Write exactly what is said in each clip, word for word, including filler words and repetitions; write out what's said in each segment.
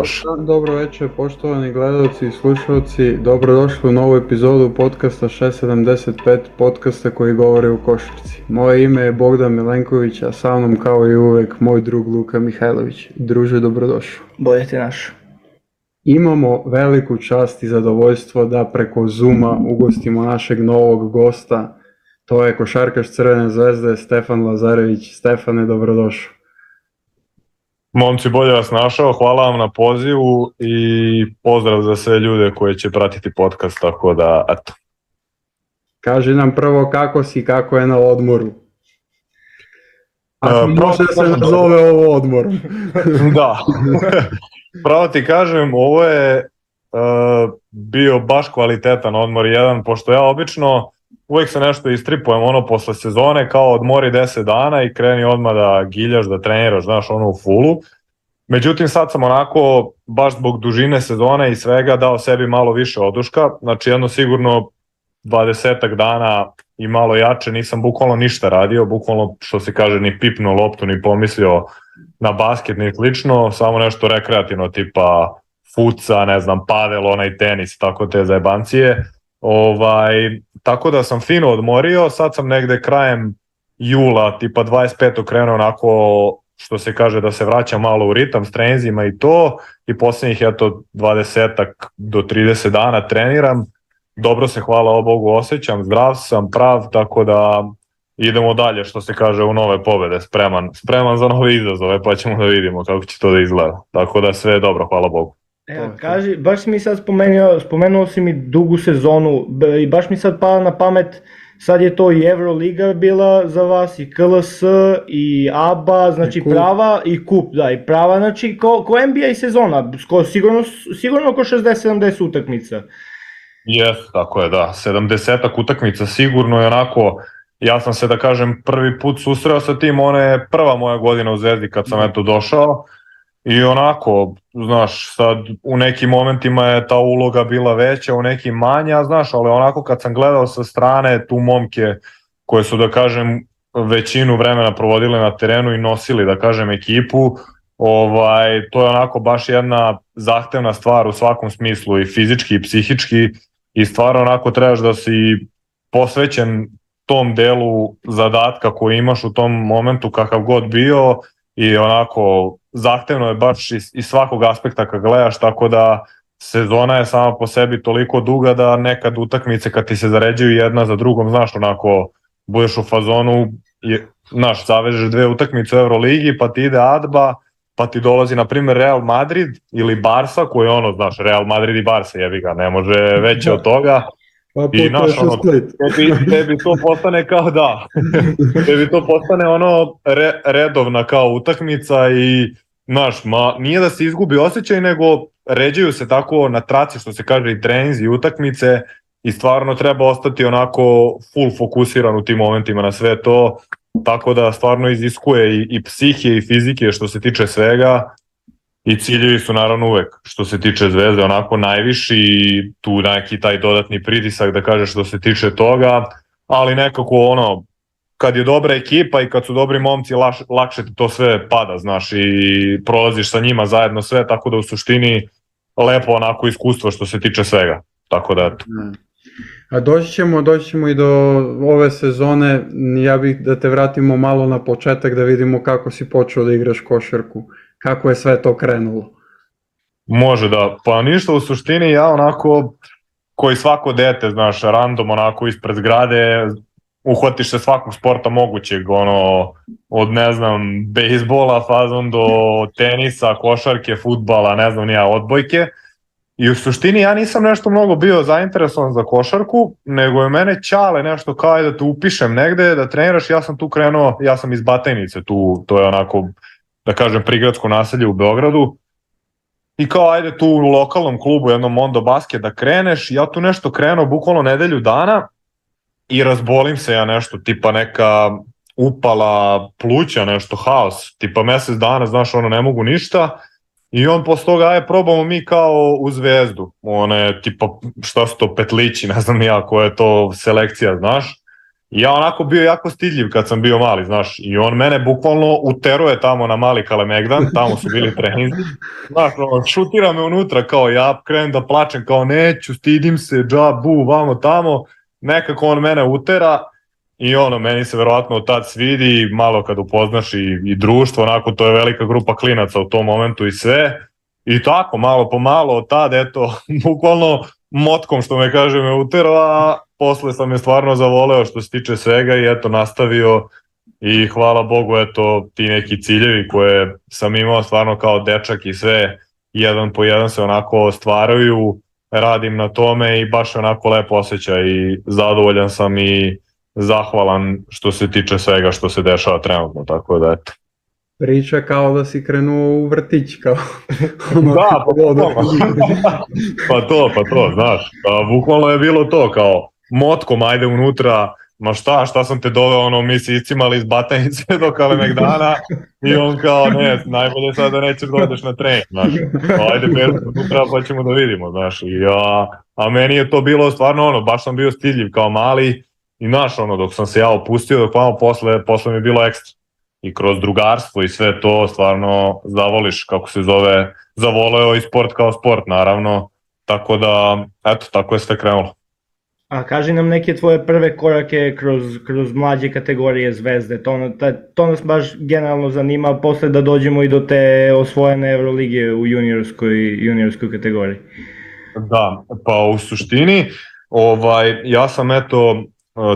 može. Dobro večer, poštovani gledalci i slušalci, dobrodošli u novu epizodu podcasta šest sedamdeset pet, podcasta koji govori o košarci. Moje ime je Bogdan Milenković, a sa mnom kao i uvek moj drug Luka Mihajlović. Druže, dobrodošao. Bolje ti naš. Imamo veliku čast i zadovoljstvo da preko Zooma ugostimo našeg novog gosta. To je košarkaš Crvene zvezde, Stefan Lazarević. Stefane, dobrodošao. Momci, bolje vas našao, hvala vam na pozivu i pozdrav za sve ljude koji će pratiti podcast, tako da, eto. Kaži nam prvo kako si, kako je na odmoru. Ako uh, može da se nazove ovo odmorom. Da, pravo ti kažem, ovo je uh, bio baš kvalitetan odmor jedan, pošto ja obično uvijek se nešto istripujem ono posle sezone, kao odmori deset dana i kreni odmah da giljaš, da treniraš, znaš, ono u fullu. Međutim, sad sam onako, baš zbog dužine sezone i svega, dao sebi malo više oduška. Znači, jedno sigurno dvadesetak dana i malo jače, nisam bukvalno ništa radio, bukvalno, što se kaže, ni pipnuo loptu, ni pomislio na basket, ni slično, samo nešto rekreativno, tipa fuca, ne znam, padel, onaj tenis, tako te zajebancije. Ovaj, tako da sam fino odmorio, sad sam negde krajem jula, tipa dvadeset petog krenuo onako, što se kaže, da se vraćam malo u ritam s trenzima i to, i posljednjih eto dvadesetak do trideset dana treniram, dobro se, hvala Bogu, osjećam, zdrav sam, prav, tako da idemo dalje, što se kaže, u nove pobede, spreman, spreman za nove izazove, pa ćemo da vidimo kako će to da izgleda, tako da sve je dobro, hvala Bogu. Evo, kaži, baš si mi sad spomenuo, spomenuo si mi dugu sezonu i baš mi sad pala na pamet, sad je to i Euroliga bila za vas, i K L S, i A B A, znači I prava, i kup, da, i prava, znači ko, ko N B A sezona, ko, sigurno, sigurno oko šezdeset sedamdeset utakmica. Jes, tako je, da, sedamdesetak utakmica sigurno, i onako, ja sam se, da kažem, prvi put susreo sa tim, ona je prva moja godina u Zvezdi kad sam eto došao. I onako, znaš, sad u nekim momentima je ta uloga bila veća, u nekim manja, znaš, ali onako kad sam gledao sa strane tu momke koje su, da kažem, većinu vremena provodile na terenu i nosili, da kažem, ekipu, ovaj, to je onako baš jedna zahtevna stvar u svakom smislu, i fizički i psihički, i stvarno onako trebaš da si posvećen tom delu zadatka koji imaš u tom momentu, kakav god bio, i onako zahtevno je baš iz, iz svakog aspekta kad gledaš, tako da sezona je sama po sebi toliko duga da nekad utakmice kad ti se zaređuju jedna za drugom, znaš, onako budeš u fazonu, je, znaš, zavežeš dve utakmice u Euroligi, pa ti ide A D B A, pa ti dolazi na primjer Real Madrid ili Barsa, koji je ono, znaš, Real Madrid i Barsa, jebi ga, ne može veće od toga. Pa i naš, ono, tebi, tebi to postane kao da, tebi to postane ono re, redovna kao utakmica i znaš, ma, nije da se izgubi osjećaj, nego ređaju se tako na traci, što se kaže, i treninzi i utakmice, i stvarno treba ostati onako full fokusiran u tim momentima na sve to, tako da stvarno iziskuje i, i psihije i fizike što se tiče svega. I ciljevi su naravno uvek, što se tiče Zvezde, onako najviši, i tu neki taj dodatni pritisak, da kažeš, što se tiče toga, ali nekako ono, kad je dobra ekipa i kad su dobri momci, laš, lakše ti to sve pada, znaš, i prolaziš sa njima zajedno sve, tako da u suštini lepo onako iskustvo što se tiče svega, tako da eto. A doći ćemo, doći ćemo i do ove sezone, ja bih da te vratimo malo na početak da vidimo kako si počeo da igraš košarku. Kako je sve to krenulo? Može da, pa ništa, u suštini ja onako, koji svako dete, znaš, random onako ispred zgrade, uhvatiš se svakog sporta mogućeg, ono, od ne znam, bejsbola fazom do tenisa, košarke, fudbala, ne znam, nija, odbojke. I u suštini ja nisam nešto mnogo bio zainteresovan za košarku, nego je mene ćale nešto kao da te upišem negde, da treniraš, ja sam tu krenuo, ja sam iz Batajnice, tu, to je onako, da kažem, prigradsko naselje u Beogradu, i kao ajde tu u lokalnom klubu, jednom Mondo Basket da kreneš, ja tu nešto krenuo bukvalno nedelju dana i razbolim se ja nešto, tipa neka upala pluća, nešto, haos, tipa mesec dana, znaš, ono, ne mogu ništa, i on posle toga, aj probamo mi kao u Zvezdu, one tipa, šta su to, petlići, ne znam ja koja je to selekcija, znaš. I ja onako bio jako stidljiv kad sam bio mali, znaš, i on mene bukvalno uteruje tamo na Mali Kalemegdan, tamo su bili treninzi, znaš, on šutira me unutra, kao ja krenem da plačem, kao neću, stidim se, džabu, vamo tamo, nekako on mene utera i ono, meni se verovatno od tad svidi, malo kad upoznaš i, i društvo, onako, to je velika grupa klinaca u tom momentu i sve, i tako, malo po malo od tad, eto, bukvalno motkom, što me kaže, me uterao, a posle sam je stvarno zavoleo što se tiče svega i eto, nastavio i hvala Bogu, eto, ti neki ciljevi koje sam imao stvarno kao dečak i sve, jedan po jedan se onako stvaraju, radim na tome i baš onako lepo osjećaj i zadovoljan sam i zahvalan što se tiče svega što se dešava trenutno, tako da eto. Priča kao da si krenuo u vrtić, kao ono, da, pa to, pa to, pa to, znaš, pa, bukvalno je bilo to, kao motkom, ajde unutra, ma šta, šta sam te doveo, ono, mi si iscimali iz Batajnice do Kalemegdana i on kao, ne, najbolje sad da nećeš da odeš na trening, znaš, ajde, beru unutra pa ćemo da vidimo, znaš, i, a, a meni je to bilo stvarno, ono, baš sam bio stidljiv kao mali i, znaš, ono, dok sam se ja opustio, dok vamo posle, posle mi je bilo ekstra. I kroz drugarstvo i sve to stvarno zavoliš, kako se zove, zavoleo i sport kao sport, naravno, tako da, eto, tako je sve krenulo. A kaži nam neke tvoje prve korake kroz, kroz mlađe kategorije Zvezde, to, to nas baš generalno zanima, posle da dođemo i do te osvojene Evrolige u juniorskoj, juniorskoj kategoriji. Da, pa u suštini, ovaj, ja sam eto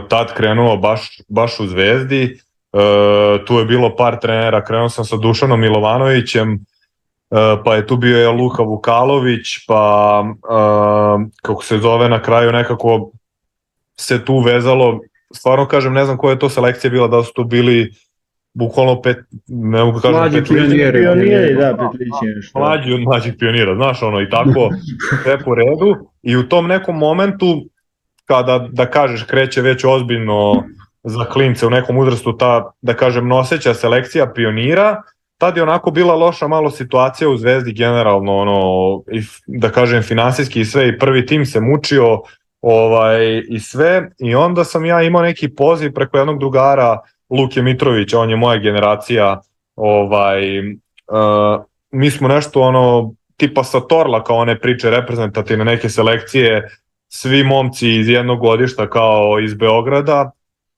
tad krenuo baš, baš u Zvezdi. Uh, tu je bilo par trenera, krenuo sam sa Dušanom Milovanovićem, uh, pa je tu bio je Luka Vukalović, pa uh, kako se zove na kraju nekako se tu vezalo, stvarno kažem ne znam koja je to selekcija bila, da su to bili bukvalno pet, ne mogu kažem mlađi pioniri, pioniri, da, petlići, mlađi od mlađih pionira, znaš ono i tako sve po redu i u tom nekom momentu kada da kažeš kreće već ozbiljno za klince u nekom uzrastu ta, da kažem, noseća selekcija pionira, tad je onako bila loša malo situacija u Zvezdi generalno, ono, i, da kažem, finansijski i sve, i prvi tim se mučio ovaj, i sve, i onda sam ja imao neki poziv preko jednog drugara, Luke Mitrovića, on je moja generacija, ovaj, uh, mi smo nešto ono, tipa sa Torla, kao one priče reprezentativne neke selekcije, svi momci iz jednog godišta kao iz Beograda,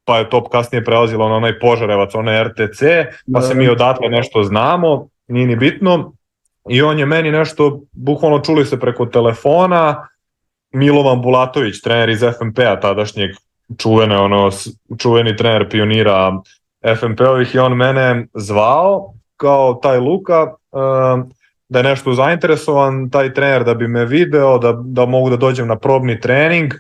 pa je to kasnije prelazilo na onaj Požarevac, onaj R T C, pa se mi odatle nešto znamo, nije ni bitno. I on je meni nešto, bukvalno čuli se preko telefona, Milovan Bulatović, trener iz F M P-a tadašnjeg, čuvene, ono, čuveni trener pionira F M P-ovih, i on mene zvao kao taj Luka, uh, da je nešto zainteresovan, taj trener da bi me video, da, da mogu da dođem na probni trening.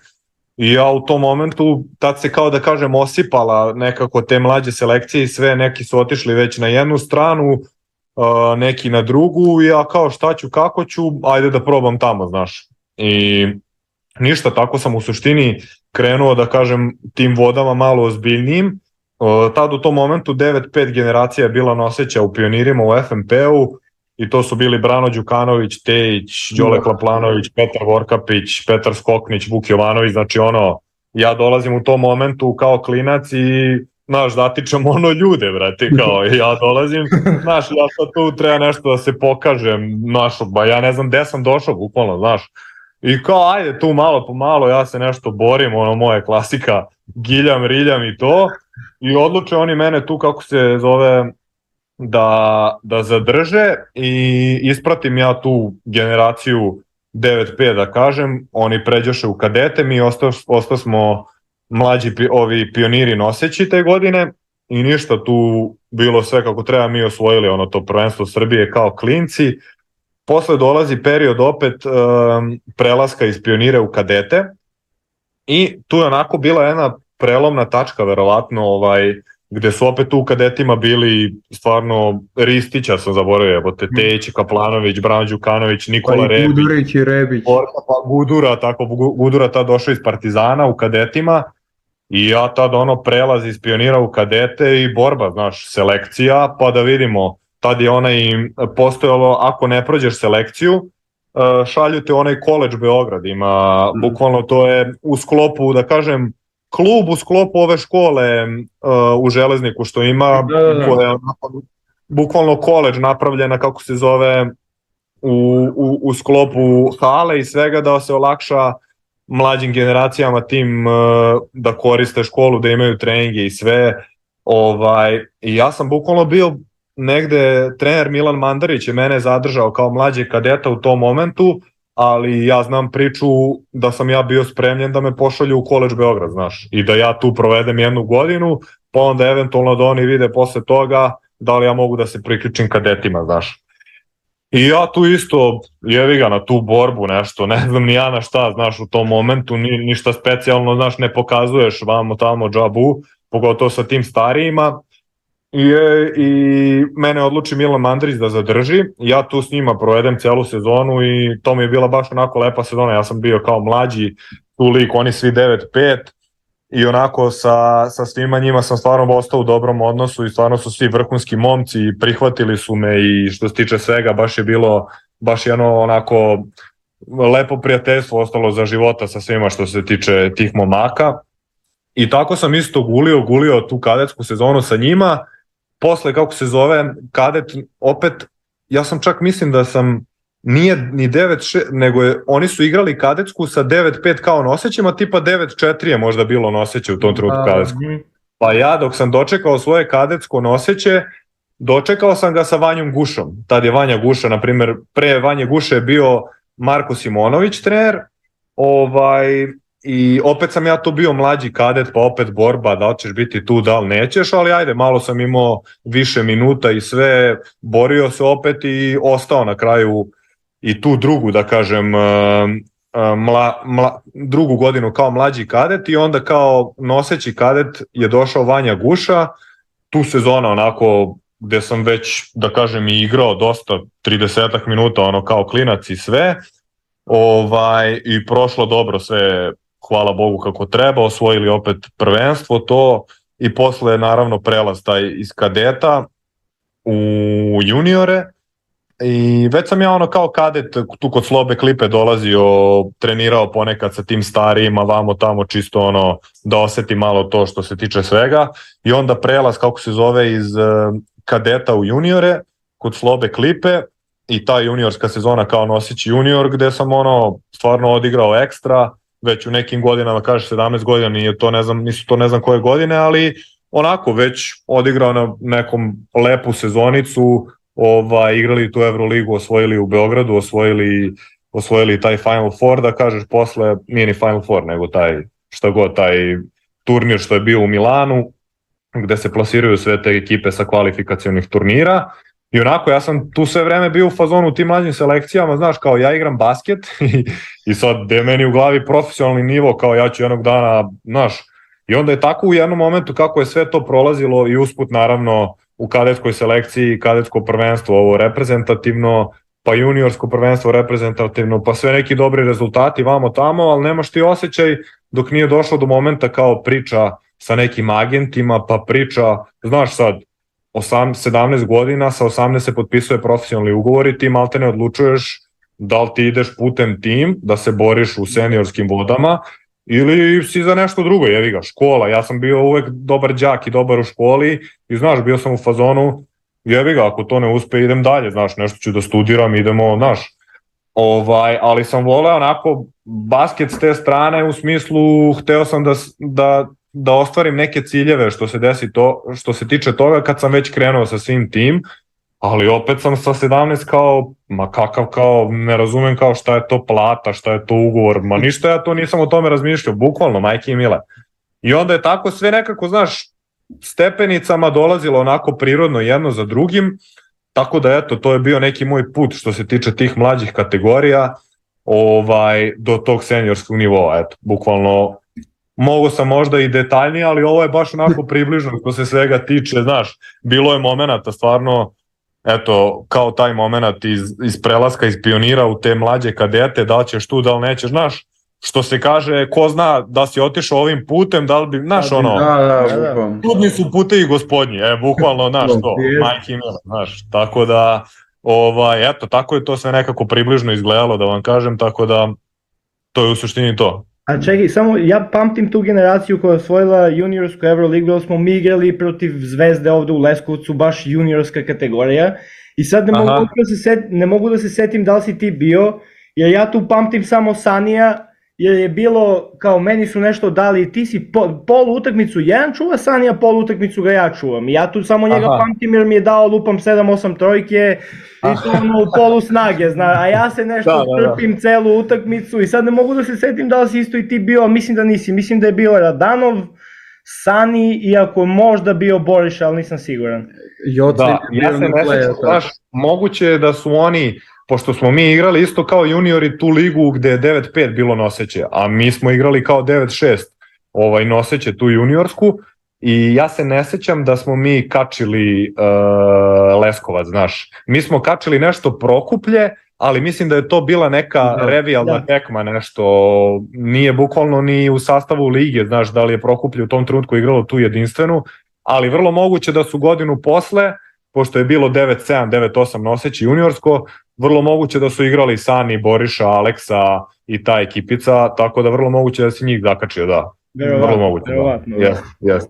I ja u tom momentu, tad se kao da kažem osipala nekako te mlađe selekcije i sve, neki su otišli već na jednu stranu, neki na drugu, i ja kao šta ću, kako ću, ajde da probam tamo, znaš. I ništa, tako sam u suštini krenuo, da kažem, tim vodama malo ozbiljnijim. Tad u tom momentu devet pet generacija je bila noseća u pionirima u F M P-u, i to su bili Brano Đukanović, Tejić, Đole Klaplanović, Petar Vorkapić, Petar Skoknić, Vuk Jovanović, znači ono, ja dolazim u tom momentu kao klinac i, znaš, zatičem ono ljude, brate, kao ja dolazim, znaš, ja sad tu treba nešto da se pokažem, znaš, ba ja ne znam gde sam došao, bukvalno, znaš, i kao ajde tu malo po malo, ja se nešto borim, ono moje klasika, giljam, riljam i to, i odluče oni mene tu, kako se zove, da, da zadrže, i ispratim ja tu generaciju devet pet, da kažem, oni pređoše u kadete, mi ostao, ostao smo mlađi ovi pioniri noseći te godine, i ništa, tu bilo sve kako treba, mi osvojili ono to prvenstvo Srbije kao klinci. Posle dolazi period opet um, prelaska iz pionire u kadete, i tu je onako bila jedna prelomna tačka verovatno, ovaj, gde su opet u kadetima bili stvarno Ristića sam zaboravio, evo te Tejić, Kaplanović, Brano Đukanović, Nikola pa Rebić, Gudurić i Rebić. Pa Gudura, tako, Gudura tad došao iz Partizana u kadetima, i ja tad ono prelaz iz pionira u kadete i borba, znaš, selekcija, pa da vidimo, tad je onaj postojalo, ako ne prođeš selekciju, šalju te onaj College Beograd, ima, bukvalno to je u sklopu, da kažem, klub u sklopu ove škole uh, u Železniku što ima, da, da, da. koja je onako, bukvalno koledž napravljena, kako se zove, u, u, u sklopu hale i svega, da se olakša mlađim generacijama tim uh, da koriste školu, da imaju treninge i sve. Ovaj, i ja sam bukvalno bio negde, trener Milan Mandarić je mene zadržao kao mlađe kadeta u tom momentu, ali ja znam priču da sam ja bio spremljen da me pošalju u koledž Beograd, znaš, i da ja tu provedem jednu godinu, pa onda eventualno da oni vide posle toga da li ja mogu da se priključim kadetima, znaš. I ja tu isto, jevi ga na tu borbu nešto, ne znam ni ja na šta, znaš, u tom momentu, ni, ništa specijalno, znaš, ne pokazuješ vamo tamo džabu, pogotovo sa tim starijima. I, i mene odluči Milan Mandarić da zadrži, ja tu s njima provedem celu sezonu i to mi je bila baš onako lepa sezona, ja sam bio kao mlađi tu lik, oni svi devet pet i onako sa, sa svima njima sam stvarno ostao u dobrom odnosu i stvarno su svi vrhunski momci i prihvatili su me i što se tiče svega baš je bilo baš jedno onako lepo prijateljstvo ostalo za života sa svima što se tiče tih momaka i tako sam isto gulio, gulio tu kadetsku sezonu sa njima. Posle, kako se zove, kadet, opet, ja sam čak mislim da sam, nije ni devet šest, nego je, oni su igrali kadetsku sa devet pet kao nosećima, tipa devet četiri je možda bilo noseće u tom trenutku kadetsku. Pa ja dok sam dočekao svoje kadetsko noseće, dočekao sam ga sa Vanjom Gušom. Tad je Vanja Guša, na primjer, pre Vanje Guše je bio Marko Simonović trener, ovaj... I opet sam ja to bio mlađi kadet, pa opet borba, da li ćeš biti tu, da li nećeš, ali ajde, malo sam imao više minuta i sve, borio se opet i ostao na kraju i tu drugu, da kažem, mla, mla, drugu godinu kao mlađi kadet i onda kao noseći kadet je došao Vanja Guša, tu sezona onako gde sam već, da kažem, i igrao dosta, tridesetak minuta, ono kao klinac i sve, ovaj, i prošlo dobro sve, hvala Bogu kako treba, osvojili opet prvenstvo to i posle naravno prelaz taj iz kadeta u juniore i već sam ja ono kao kadet tu kod Slobe Klipe dolazio, trenirao ponekad sa tim starijima vamo tamo čisto ono da osetim malo to što se tiče svega i onda prelaz kako se zove iz kadeta u juniore kod Slobe Klipe i ta juniorska sezona kao nosić junior gde sam ono stvarno odigrao ekstra, već u nekim godinama, kaže sedamnaest godina, nije to ne znam, nisu to ne znam koje godine, ali onako već odigrao na nekom lepu sezonicu, ovaj, igrali tu Euroligu, osvojili u Beogradu, osvojili, osvojili taj Final Four, da kažeš posle, nije ni Final Four, nego taj, šta god, taj turnir što je bio u Milanu, gde se plasiraju sve te ekipe sa kvalifikacionih turnira. I onako, ja sam tu sve vreme bio u fazonu u tim mlađim selekcijama, znaš, kao ja igram basket i, i sad gde je meni u glavi profesionalni nivo, kao ja ću jednog dana, znaš, i onda je tako u jednom momentu kako je sve to prolazilo i usput naravno u kadetskoj selekciji, kadetsko prvenstvo, ovo reprezentativno, pa juniorsko prvenstvo reprezentativno, pa sve neki dobri rezultati vamo tamo, ali nemaš ti osjećaj dok nije došlo do momenta kao priča sa nekim agentima, pa priča, znaš sad, sedamnaest godina, sa osamnaest se potpisuje profesionalni ugovor i ti malte ne odlučuješ da li ti ideš putem tim, da se boriš u seniorskim vodama ili si za nešto drugo, jevi ga, škola, ja sam bio uvek dobar đak i dobar u školi i znaš, bio sam u fazonu, jevi ga, ako to ne uspe idem dalje, znaš, nešto ću da studiram, idemo, znaš, ovaj, ali sam voleo onako basket s te strane u smislu, hteo sam da, da da ostvarim neke ciljeve što se desi to, što se tiče toga kad sam već krenuo sa svim tim, ali opet sam sa sedamnaest kao, ma kakav kao, ne razumem kao šta je to plata, šta je to ugovor, ma ništa ja to nisam o tome razmišljao, bukvalno, majke i mile. I onda je tako sve nekako, znaš, stepenicama dolazilo onako prirodno jedno za drugim, tako da eto, to je bio neki moj put što se tiče tih mlađih kategorija, ovaj, do tog seniorskog nivoa, eto, bukvalno. Mogu sam možda i detaljnije, ali ovo je baš onako približno što se svega tiče, znaš, bilo je momenata stvarno, eto, kao taj moment iz, iz prelaska, iz pionira u te mlađe kadete, da li ćeš tu, da li nećeš, znaš, što se kaže, ko zna da si otišao ovim putem, da li bi, znaš, ono, da, da, bukvalno. Tudni su putevi gospodnji, e, bukvalno, znaš, to, majke i mila, znaš, tako da, ovaj, eto, tako je to sve nekako približno izgledalo, da vam kažem, tako da, to je u suštini to. A čekaj, samo ja pamtim tu generaciju koja je osvojila juniorsku Euroligu, jer smo mi igrali protiv Zvezde ovde u Leskovcu, baš juniorska kategorija. I sad ne mogu, da se set, ne mogu da se setim da li si ti bio, jer ja tu pamtim samo Sanija, jer je bilo, kao meni su nešto dali, ti si po, pol utakmicu jedan čuva Sanija, pol utakmicu ga ja čuvam. I ja tu samo njega Aha. pamtim jer mi je dao lupam sedam osam trojke i to ono u polu snage, zna, a ja se nešto da, da, da. trpim celu utakmicu i sad ne mogu da se setim da li si isto i ti bio, a mislim da nisi, mislim da je bio Radanov, Sani, iako možda bio Boriša, ali nisam siguran. Da, ja se ne sećam, znaš, moguće je da su oni, pošto smo mi igrali isto kao juniori tu ligu gde je devet pet bilo noseće, a mi smo igrali kao devet šest ovaj, noseće tu juniorsku i ja se ne sećam da smo mi kačili uh, Leskovac, znaš. Mi smo kačili nešto Prokuplje, ali mislim da je to bila neka da, revijalna da. tekma, nešto, nije bukvalno ni u sastavu lige, znaš, da li je Prokuplje u tom trenutku igralo tu jedinstvenu, ali vrlo moguće da su godinu posle, pošto je bilo devet sedam, devet osam noseći juniorsko, vrlo moguće da su igrali Sani, Boriša, Aleksa i ta ekipica, tako da vrlo moguće da si njih zakačio, da. Verovatno, vrlo moguće, verovatno, da. Yes, yes,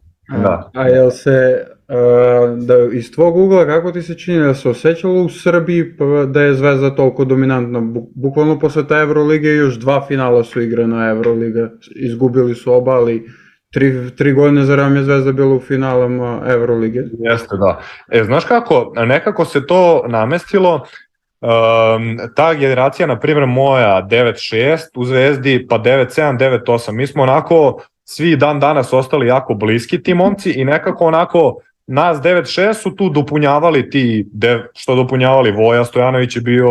da. A jel se, uh, da iz tvog ugla, kako ti se čini da se osjećalo u Srbiji da je Zvezda toliko dominantna? Bukvalno posle ta Evrolige još dva finala su igrana Evroliga, izgubili su oba, ali Tri, tri godine za ram je Zvezda bila u finalama Evrolige. Jeste, da. E, znaš kako, nekako se to namestilo, um, ta generacija, na primjer moja devet šest u Zvezdi, pa devet sedam, devet osam, mi smo onako svi dan danas ostali jako bliski ti momci i nekako onako nas devet šest su tu dopunjavali ti, dev, što dopunjavali, Voja Stojanović je bio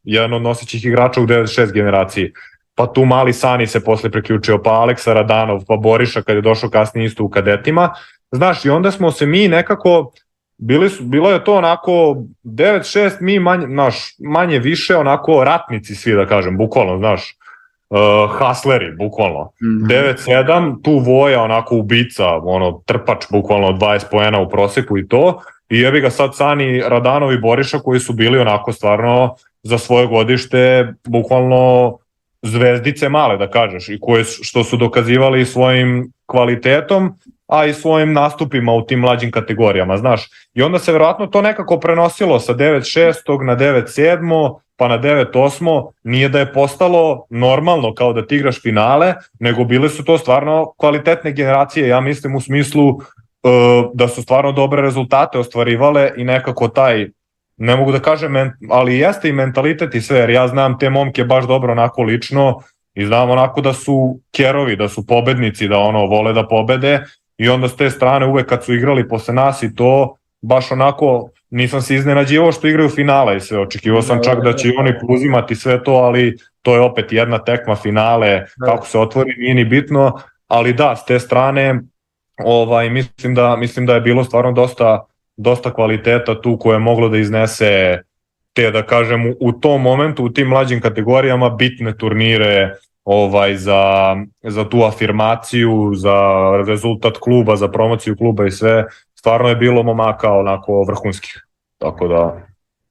jedan od nosećih igrača u devet šest generaciji. Pa tu mali Sani se posle priključio, pa Aleksa Radanov, pa Boriša kad je došao kasnije isto u kadetima. Znaš, i onda smo se mi nekako, bili su, bilo je to onako devet šest, mi manje, znaš, manje više onako ratnici svi da kažem, bukvalno, znaš, uh, hasleri, bukvalno. Mm-hmm. devet sedam, tu Voja onako ubica, ono, trpač, bukvalno dvadeset poena u proseku i to. I jebi ga sad Sani, Radanov i Boriša koji su bili onako stvarno za svoje godište, bukvalno zvezdice male da kažeš i koje što su dokazivali svojim kvalitetom, a i svojim nastupima u tim mlađim kategorijama, znaš. I onda se verovatno to nekako prenosilo sa devet šest na devet sedam pa na devet osam, nije da je postalo normalno kao da ti igraš finale, nego bile su to stvarno kvalitetne generacije, ja mislim u smislu uh, da su stvarno dobre rezultate ostvarivale i nekako taj, ne mogu da kažem, ali jeste i mentalitet i sve, jer ja znam te momke baš dobro onako lično i znam onako da su kerovi, da su pobednici, da ono vole da pobede i onda s te strane uvek kad su igrali posle nas i to, baš onako nisam se iznenađivao što igraju finale i sve, očekivao sam čak da će i oni uzimati sve to, ali to je opet jedna tekma finale, kako se otvori nije ni bitno, ali da, s te strane ovaj, mislim, da, mislim da je bilo stvarno dosta dosta kvaliteta tu koje je moglo da iznese te, da kažem, u tom momentu, u tim mlađim kategorijama bitne turnire ovaj, za, za tu afirmaciju, za rezultat kluba, za promociju kluba i sve. Stvarno je bilo momaka onako vrhunskih. Tako da...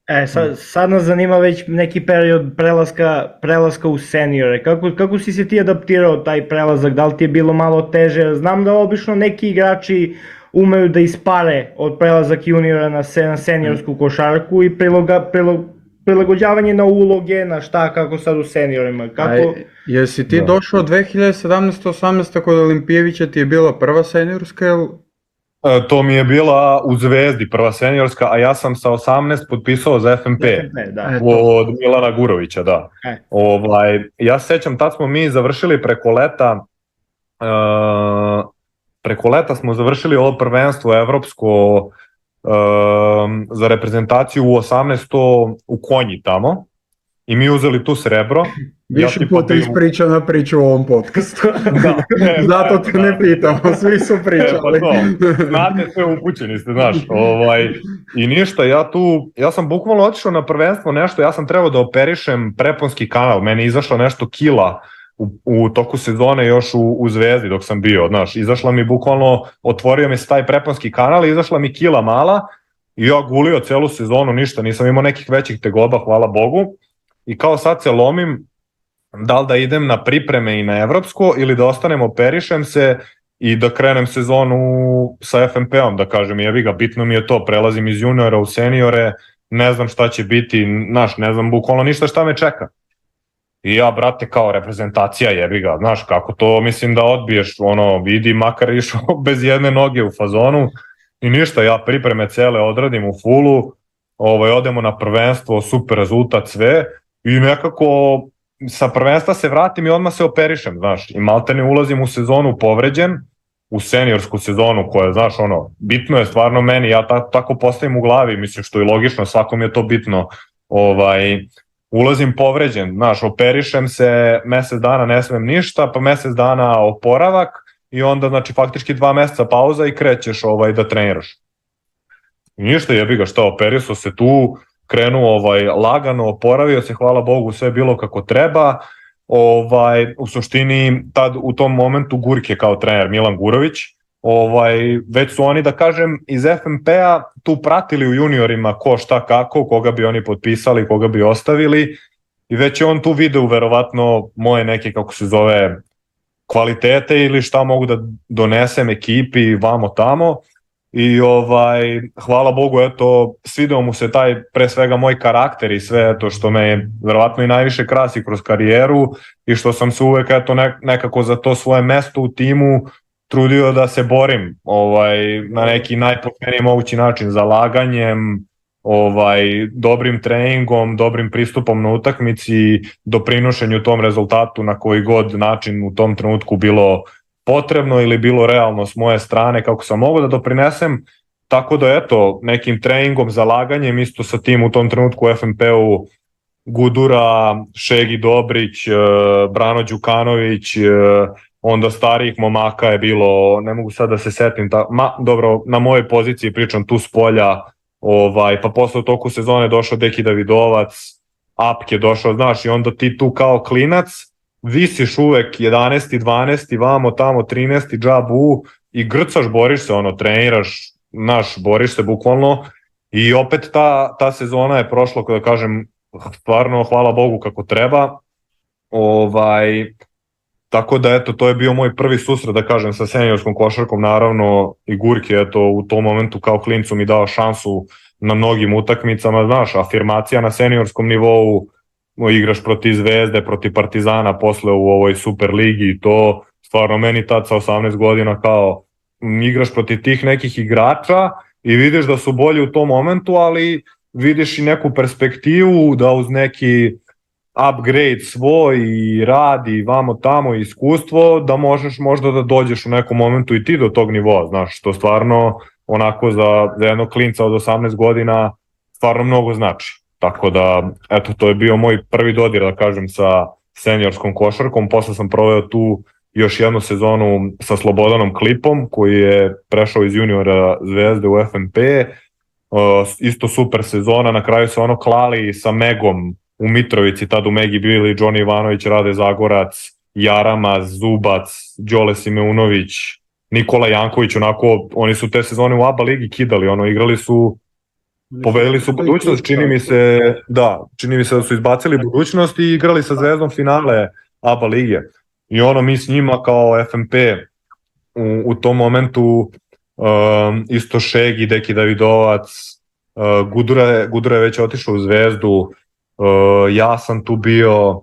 E, sad, sad nas zanima već neki period prelaska, prelaska u seniore. Kako, kako si se ti adaptirao taj prelazak? Da li ti je bilo malo teže? Znam da obično neki igrači umeju da ispare od prelazak juniora na, se, na seniorsku košarku i priloga, prilog, prilagođavanje na uloge, na šta, kako sad u seniorima. Kako... A, jesi ti da. došao dve hiljade sedamnaeste osamnaeste kod Olimpijevića, ti je bila prva seniorska, jel? E, to mi je bila u Zvezdi prva seniorska, a ja sam sa osamnaest potpisao za F M P, F M P da. od Milana Gurovića, da. E. Ovaj, ja se sećam, tad smo mi završili preko leta, uh, preko leta smo završili ovo prvenstvo evropsko um, za reprezentaciju u osamnaesto u Konji tamo i mi uzeli tu srebro. Više ja puta ispričao na priču u ovom podcastu. Da, ne, zato te da. ne pitamo, svi su pričali. E, pa znate, sve upućeni ste, znaš. Ovaj, I ništa, ja tu, ja sam bukvalno otišao na prvenstvo nešto, ja sam trebao da operišem preponski kanal, meni je izašlo nešto kila U, u toku sezone još u, u Zvezdi dok sam bio, znaš, izašla mi bukvalno, otvorio mi se taj preponski kanal i izašla mi kila mala i ja gulio celu sezonu, ništa, nisam imao nekih većih tegoba, hvala Bogu, i kao sad se lomim da li da idem na pripreme i na evropsko ili da ostanem, operišem se i da krenem sezonu sa F M P-om, da kažem, jebi ga, bitno mi je to, prelazim iz juniora u seniore, ne znam šta će biti, znaš, ne znam bukvalno ništa šta me čeka. I ja, brate, kao reprezentacija, jebi ga, znaš, kako to, mislim da odbiješ, ono, vidi, makar išao bez jedne noge u fazonu i ništa, ja pripreme cele odradim u fulu, ovaj, odemo na prvenstvo, super rezultat, sve, i nekako sa prvenstva se vratim i odmah se operišem, znaš, i maltene ulazim u sezonu povređen, u seniorsku sezonu koja, znaš, ono, bitno je stvarno meni, ja ta, tako postavim u glavi, mislim što je logično, svakom je to bitno, ovaj, ulazim povređen, znaš, operišem se, mesec dana ne smem ništa, pa mesec dana oporavak i onda, znači, faktički dva meseca pauza i krećeš ovaj, da treniraš. I ništa, jebi ga, šta, operisao se tu, krenuo ovaj, lagano, oporavio se, hvala Bogu, sve je bilo kako treba. Ovaj, u suštini, tad u tom momentu Gurk je kao trener Milan Gurović, ovaj, već su oni, da kažem, iz F M P-a tu pratili u juniorima ko šta kako, koga bi oni potpisali, koga bi ostavili, i već je on tu video verovatno moje neke, kako se zove, kvalitete ili šta mogu da donesem ekipi vamo tamo. I ovaj, hvala Bogu, eto, svideo mu se taj, pre svega, moj karakter i sve to što me verovatno i najviše krasi kroz karijeru i što sam se uvek, eto, nekako za to svoje mesto u timu trudio da se borim, ovaj, na neki najpošteniji mogući način, zalaganjem, ovaj, dobrim treningom, dobrim pristupom na utakmici, doprinošenju tom rezultatu na koji god način u tom trenutku bilo potrebno ili bilo realno s moje strane, kako sam mogao da doprinesem, tako da eto, nekim treningom, zalaganjem, isto sa tim u tom trenutku u F M P-u Gudura, Šegi Dobrić, Brano Đukanović, onda starijih momaka je bilo, ne mogu sad da se setim, ta, ma, dobro, na mojoj poziciji pričam tu s polja, ovaj, pa posle u toku sezone došao Deki Davidovac, Apk je došao, znaš, i onda ti tu kao klinac visiš uvek jedanaesti, dvanaesti, vamo tamo trinaesti, džabu i grcaš, boriš se, ono, treniraš, znaš, boriš se bukvalno i opet ta, ta sezona je prošla, kada kažem, stvarno, hvala Bogu kako treba, ovaj, tako da eto, to je bio moj prvi susret, da kažem, sa seniorskom košarkom, naravno i Gurk je eto u tom momentu kao klincu mi dao šansu na mnogim utakmicama, znaš, afirmacija na seniorskom nivou, igraš protiv Zvezde, protiv Partizana, posle u ovoj Super ligi i to, stvarno meni tad sa osamnaest godina kao igraš protiv tih nekih igrača i vidiš da su bolji u tom momentu, ali vidiš i neku perspektivu da uz neki upgrade svoj i rad i vamo tamo i iskustvo da možeš možda da dođeš u nekom momentu i ti do tog nivoa, znaš, što stvarno onako za, za jednog klinca od osamnaest godina stvarno mnogo znači. Tako da, eto, to je bio moj prvi dodir, da kažem, sa seniorskom košarkom. Posle sam proveo tu još jednu sezonu sa Slobodanom Klipom, koji je prešao iz juniora Zvezde u F M P. Uh, isto super sezona, na kraju se ono klali sa Megom u Mitrovici, tad u Megi bili Džoni Ivanović, Rade Zagorac, Jarama, Zubac, Đole Simeunović, Nikola Janković, onako, oni su te sezone u A B A ligi kidali, ono, igrali su, pobedili su budućnost, čini mi se, da, čini mi se da su izbacili budućnost i igrali sa Zvezdom finale A B A lige. I ono, mi s njima kao F M P u, u tom momentu, um, isto Šegi, Deki Davidovac, uh, Gudura, je, Gudura je već otišao u Zvezdu, uh, ja sam tu bio,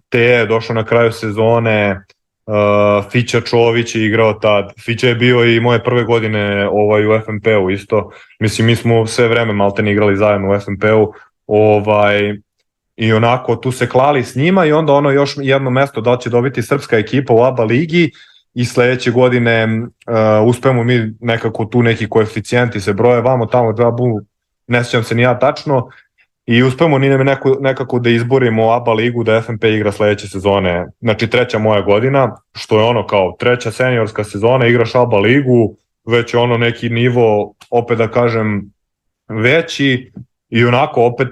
Te je došao na kraju sezone, uh, Fića Čović je igrao tad, Fića je bio i moje prve godine ovaj, u F M P-u isto, mislim mi smo sve vreme maltene igrali zajedno u F M P-u, ovaj, i onako tu se klali s njima i onda ono još jedno mesto da će dobiti srpska ekipa u A B A ligi i sledeće godine uh, uspemo mi nekako tu neki koeficijenti se broje vamo tamo džabu, ne sjećam se ni ja tačno, i uspemo ni neko, nekako da izborimo A B A ligu da F M P igra sledeće sezone, znači treća moja godina, što je ono kao treća seniorska sezona, igraš A B A ligu, već je ono neki nivo, opet da kažem, veći i onako opet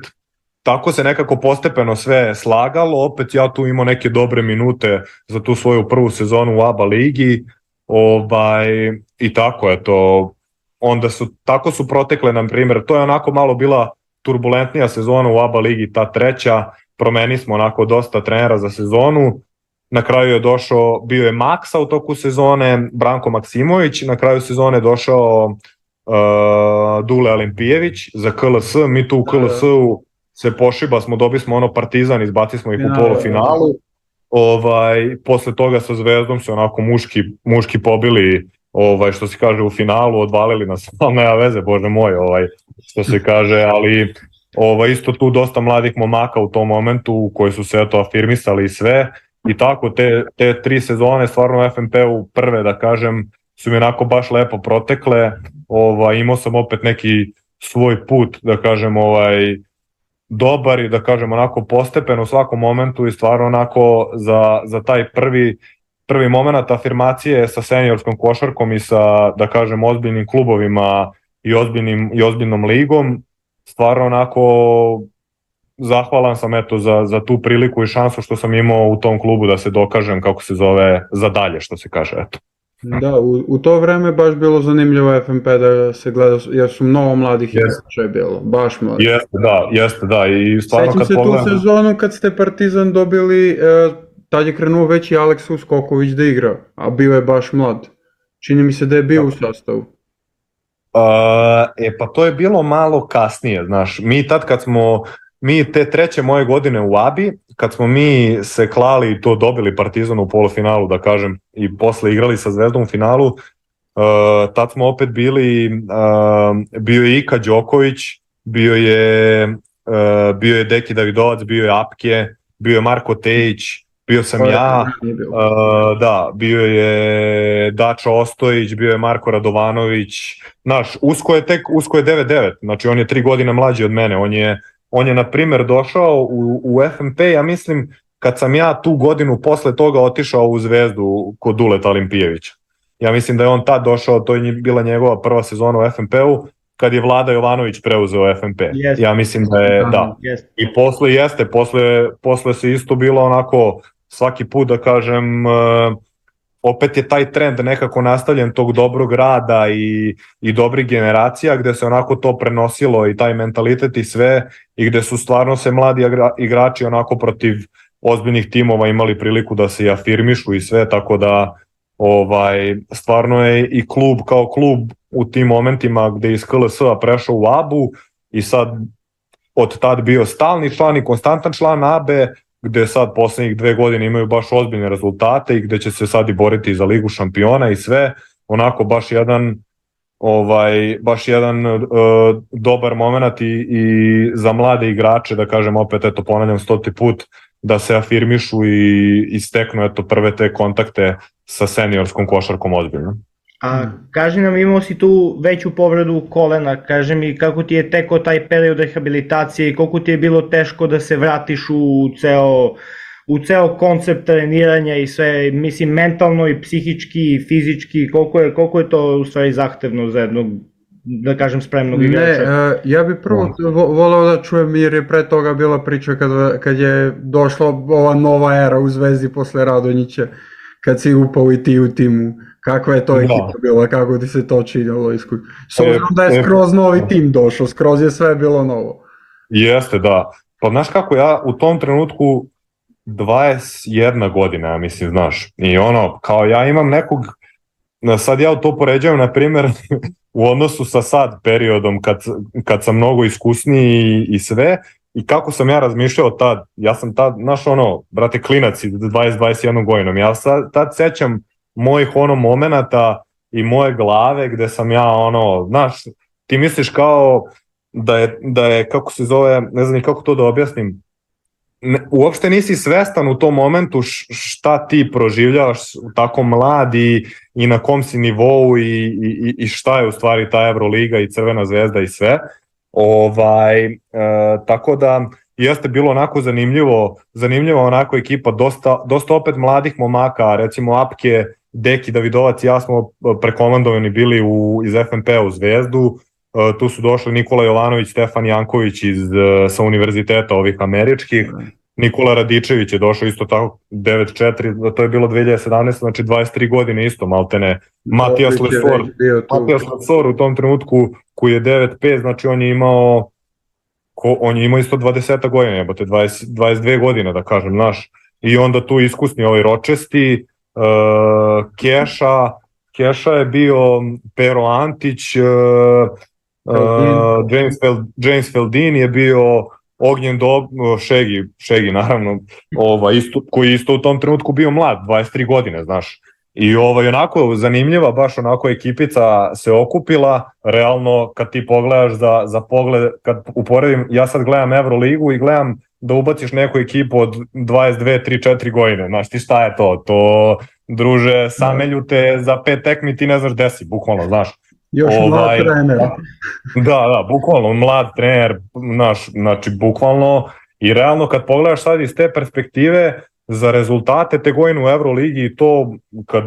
tako se nekako postepeno sve slagalo, opet ja tu imao neke dobre minute za tu svoju prvu sezonu u A B A ligi, ovaj, i tako eto, onda su, tako su protekle, na primjer, to je onako malo bila turbulentnija sezona u A B A ligi, ta treća, promeni smo onako dosta trenera za sezonu. Na kraju je došao, bio je Maksa u toku sezone, Branko Maksimović, na kraju sezone je došao uh, Dule Olimpijević za K L S, mi tu u K L S-u se pošiba smo, dobili smo ono Partizan, izbacili smo ih u polufinalu. Ovaj, posle toga sa Zvezdom se onako muški, muški pobili, ovaj, što se kaže u finalu, odvalili nas, ali nema veze, bože moj, ovaj, što se kaže, ali ovaj, isto tu dosta mladih momaka u tom momentu koji su se eto afirmisali i sve. I tako te, te tri sezone stvarno u F N P-u prve da kažem su mi onako baš lepo protekle, ovaj, imao sam opet neki svoj put da kažem ovaj, dobar i da kažem onako postepen u svakom momentu i stvarno onako za, za taj prvi, prvi moment afirmacije sa seniorskom košarkom i sa da kažem ozbiljnim klubovima i, ozbiljnim, i ozbiljnom ligom, stvarno onako zahvalan sam eto za, za tu priliku i šansu što sam imao u tom klubu da se dokažem kako se zove za dalje što se kaže eto. Da, u, u to vreme baš bilo zanimljivo F N P da se gleda, jer su mnogo mladih igrača je bilo, baš mladih. Jeste, da, jeste, da. I stvarno Sećam kad se pogledam... tu sezonu kad ste Partizan dobili, e, tad je krenuo već i Aleks Uskoković da igra, a bio je baš mlad. Čini mi se da je bio da. u sastavu. Uh, e pa to je bilo malo kasnije, znaš, mi tad kad smo, mi te treće moje godine u A B I, kad smo mi se klali i to dobili Partizan u polufinalu, da kažem, i posle igrali sa Zvezdom u finalu, uh, tad smo opet bili, uh, bio je Ika Đoković, bio je, uh, bio je Deki Davidovac, bio je Apke, bio je Marko Tejić, bio sam ja, uh, da, bio je Dačo Ostojić, bio je Marko Radovanović, znaš, Usko je tek, Usko je devet devet, znači on je tri godine mlađi od mene, on je On je, na primjer, došao u, u F N P, ja mislim, kad sam ja tu godinu posle toga otišao u Zvezdu kod Duleta Olimpijevića. Ja mislim da je on tad došao, to je bila njegova prva sezona u F N P-u, kad je Vlada Jovanović preuzeo F N P. Yes. Ja mislim da je, da. Yes. I posle jeste, posle, posle se isto bilo onako, svaki put da kažem... Uh, opet je taj trend nekako nastavljen tog dobrog rada i, i dobrih generacija gde se onako to prenosilo i taj mentalitet i sve i gde su stvarno se mladi igrači onako protiv ozbiljnih timova imali priliku da se i afirmišu i sve, tako da ovaj, stvarno je i klub kao klub u tim momentima gde iz K L S-a prešao u A B U i sad od tad bio stalni član i konstantan član A B E, gde sad poslednjih dve godine imaju baš ozbiljne rezultate i gde će se sad i boriti za Ligu šampiona i sve, onako baš jedan ovaj baš jedan uh, dobar moment i, i za mlade igrače, da kažem opet, eto ponavljam stoti put, da se afirmišu i, i steknu eto prve te kontakte sa seniorskom košarkom ozbiljno. A kaži nam, imao si tu veću povredu kolena, kaži mi kako ti je tekao taj period rehabilitacije i koliko ti je bilo teško da se vratiš u ceo, u ceo koncept treniranja i sve, mislim, mentalno i psihički i fizički, koliko je, koliko je to u stvari zahtevno za jednog, da kažem, spremnog igrača? Ne, ja bih prvo voleo da čujem, jer je pre toga bila priča kad, kad je došla ova nova era u Zvezdi posle Radonjića, kad si upao i ti u timu. Kakva je to ekipa da. bila, kako ti se to činilo? S obzirom da je skroz novi tim došao, skroz je sve bilo novo. Jeste, da. Pa znaš kako, ja u tom trenutku dvadeset jedna godina, ja mislim, znaš, i ono, kao ja imam nekog, sad ja to poređavam, na primjer, u odnosu sa sad periodom, kad, kad sam mnogo iskusniji i, i sve, i kako sam ja razmišljao tad, ja sam tad, znaš ono, brate, klinac iz dvadeset dvadeset jedna godinom, ja sad, tad sećam mojih ono momenata i moje glave gde sam ja ono, znaš, ti misliš kao da je, da je kako se zove, ne znam ni kako to da objasnim, ne, uopšte nisi svestan u tom momentu šta ti proživljavaš tako mlad i, i na kom si nivou i, i, i šta je u stvari ta Euroliga i Crvena zvezda i sve. Ovaj, e, tako da jeste bilo onako zanimljivo, zanimljivo onako ekipa, dosta, dosta opet mladih momaka, recimo Apke, Deki Davidovac i ja smo prekomandovani bili u, iz F N P-a u Zvezdu, e, tu su došli Nikola Jovanović, Stefan Janković iz, sa univerziteta ovih američkih, Nikola Radičević je došao isto tako devet četiri, to je bilo dve hiljade sedamnaeste, znači dvadeset tri godine isto maltene, Matijas Lesor, Matijas Lesor u tom trenutku koji je devet pet, znači on je imao ko, on je imao isto dvadeset godina, jebote, dvadeset, dvadeset dve godine, da kažem, znaš, i onda tu iskusni ovaj Ročesti, uh, Keša, Keša je bio Pero Antić, uh, uh, James, Fel, James Feldin je bio Ognjen Dob, Šegi, Šegi naravno, ovaj, isto, koji je isto u tom trenutku bio mlad, dvadeset tri godine, znaš. I ovaj, onako zanimljiva, baš onako ekipica se okupila, realno kad ti pogledaš za, za pogled, kad uporedim, ja sad gledam Euroligu i gledam da ubaciš neku ekipu od dvadeset dve, tri, četiri godine, znaš ti šta je to, to druže, samelju te za pet tekmi ti ne znaš gde si, bukvalno, znaš. Još ovaj, mlad trener. Da, da, bukvalno, mlad trener, znaš, znači bukvalno, i realno kad pogledaš sad iz te perspektive, za rezultate te godine u Euroligi i to, kad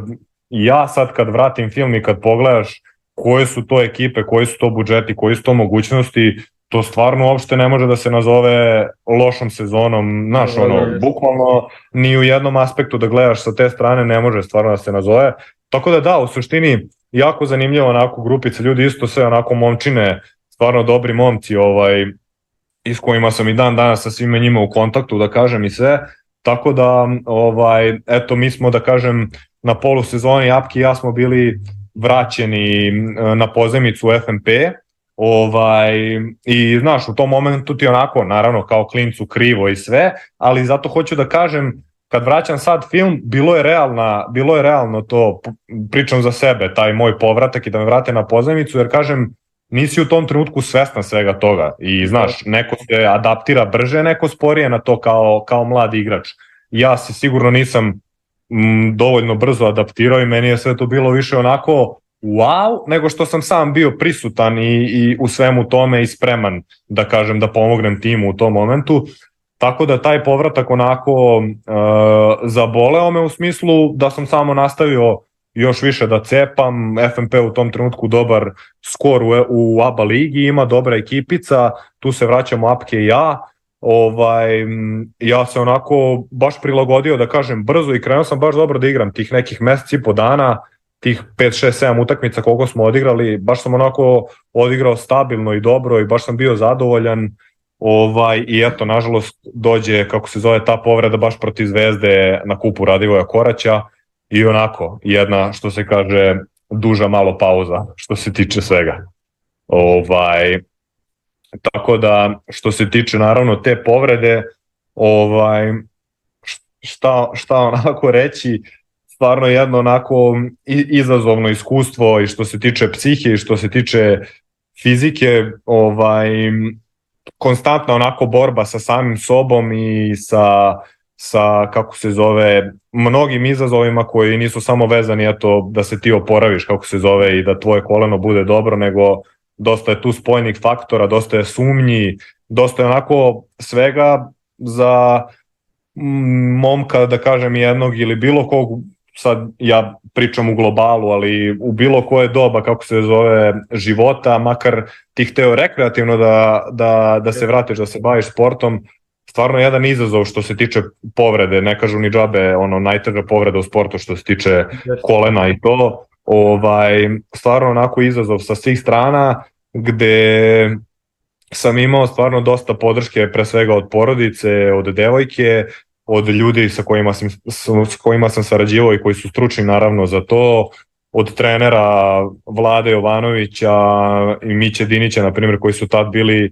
ja sad kad vratim film i kad pogledaš koje su to ekipe, koji su to budžeti, koji su to mogućnosti, to stvarno uopšte ne može da se nazove lošom sezonom, znaš, ono, bukvalno ni u jednom aspektu da gledaš sa te strane ne može stvarno da se nazove, tako da da, u suštini jako zanimljivo onako grupica ljudi, isto sve onako momčine, stvarno dobri momci, ovaj, i s kojima sam i dan danas sa svima njima u kontaktu, da kažem i sve, tako da, ovaj, eto, mi smo, da kažem, na polusezoni, Apki i ja smo bili vraćeni na pozemicu u F N P, ovaj, i znaš, u tom momentu ti onako, naravno, kao klincu krivo i sve, ali zato hoću da kažem, kad vraćam sad film, bilo je realna, bilo je realno to, pričam za sebe, taj moj povratak i da me vrate na pozemicu, jer kažem, nisi u tom trenutku svestan svega toga i znaš, neko se adaptira brže, neko sporije na to kao, kao mlad igrač. Ja se sigurno nisam m, dovoljno brzo adaptirao i meni je sve to bilo više onako wow, nego što sam sam bio prisutan i, i u svemu tome i spreman, da kažem, da pomognem timu u tom momentu. Tako da taj povratak onako e, zaboleo me u smislu da sam samo nastavio još više da cepam, F N P u tom trenutku dobar skor u, u A B A ligi, ima dobra ekipica, tu se vraćamo Apke i ja, ovaj, ja se onako baš prilagodio, da kažem, brzo i krenuo sam baš dobro da igram tih nekih mesec i po dana, tih pet, šest, sedam utakmica koliko smo odigrali, baš sam onako odigrao stabilno i dobro i baš sam bio zadovoljan, ovaj, i eto, nažalost, dođe, kako se zove, ta povreda baš protiv Zvezde na kupu Radivoja Koraća, i onako, jedna, što se kaže, duža malo pauza, što se tiče svega. Ovaj, tako da, što se tiče, naravno, te povrede, ovaj, šta, šta onako reći, stvarno jedno onako izazovno iskustvo i što se tiče psihe i što se tiče fizike, ovaj, konstantna onako borba sa samim sobom i sa... sa, kako se zove, mnogim izazovima koji nisu samo vezani eto, da se ti oporaviš, kako se zove, i da tvoje koleno bude dobro, nego dosta je tu spoljnih faktora, dosta je sumnji, dosta je onako svega za momka, da kažem, jednog ili bilo kog, sad ja pričam u globalu, ali u bilo koje doba, kako se zove, života, makar ti hteo rekreativno da, da, da se vratiš, da se baviš sportom, stvarno jedan izazov što se tiče povrede, ne kažu ni džabe, ono, najteža povreda u sportu što se tiče kolena i to, ovaj, stvarno onako izazov sa svih strana, gde sam imao stvarno dosta podrške, pre svega od porodice, od devojke, od ljudi sa kojima sam, s kojima sam sarađivao i koji su stručni naravno za to, od trenera Vlade Jovanovića i Miće Dinića, na primjer, koji su tad bili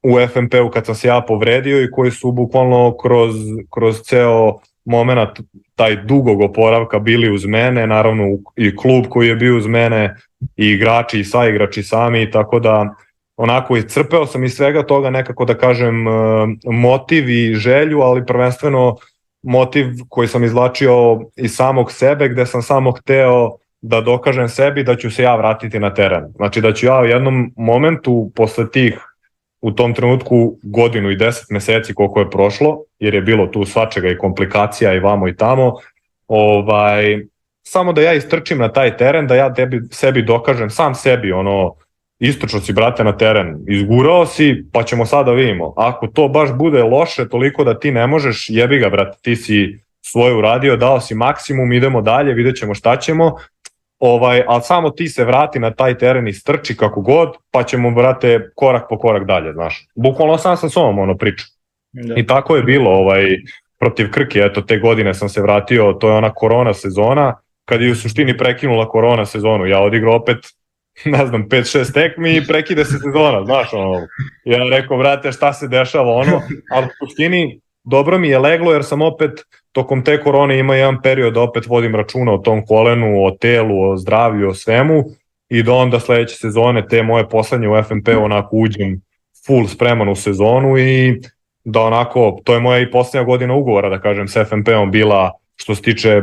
u F N P-u kad sam se ja povredio i koji su bukvalno kroz, kroz ceo moment taj dugog oporavka bili uz mene, naravno i klub koji je bio uz mene, i igrači i saigrači sami, tako da onako iscrpeo sam iz svega toga nekako, da kažem, motiv i želju, ali prvenstveno motiv koji sam izvlačio iz samog sebe, gde sam samo hteo da dokažem sebi da ću se ja vratiti na teren. Znači da ću ja u jednom momentu posle tih, u tom trenutku, godinu i deset meseci koliko je prošlo, jer je bilo tu svačega i komplikacija i vamo i tamo, ovaj, samo da ja istrčim na taj teren, da ja tebi, sebi dokažem, sam sebi, ono, istrčao si, brate, na teren, izgurao si, pa ćemo sada vidimo. Ako to baš bude loše toliko da ti ne možeš, jebi ga, brate, ti si svoje uradio, dao si maksimum, idemo dalje, vidjet ćemo šta ćemo, ovaj, ali samo ti se vrati na taj teren i strči kako god, pa ćemo, brate, korak po korak dalje, znaš. Bukvalno sam sa sobom ono priča. Da. I tako je bilo, ovaj, protiv Krke, eto, te godine sam se vratio, to je ona korona sezona, kad je u suštini prekinula korona sezonu, ja odigrao opet, ne znam, pet šest tekmi i prekide se sezona, znaš, ono, ja rekao, brate, šta se dešava, ono, ali u suštini dobro mi je leglo, jer sam opet tokom te korone ima jedan period da opet vodim računa o tom kolenu, o telu, o zdravlju, o svemu, i da onda sledeće sezone, te moje poslednje u F N P onako uđem full spreman u sezonu i da onako, to je moja i posljednja godina ugovora, da kažem, s F N P-om bila, što se tiče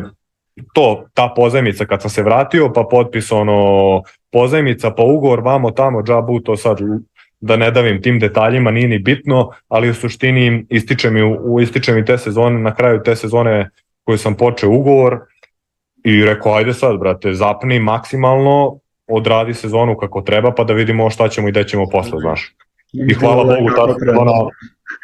to, ta pozajmica kad sam se vratio, pa potpis ono, pozajmica, pa ugovor, vamo tamo, džabu, to sad da ne davim tim detaljima, nije ni bitno, ali u suštini ističe mi, u, ističe mi te sezone, na kraju te sezone koju sam počeo ugovor i rekao, ajde sad, brate, zapni maksimalno, odradi sezonu kako treba, pa da vidimo šta ćemo i gde ćemo posle, znaš. I hvala Bogu, ta sezona,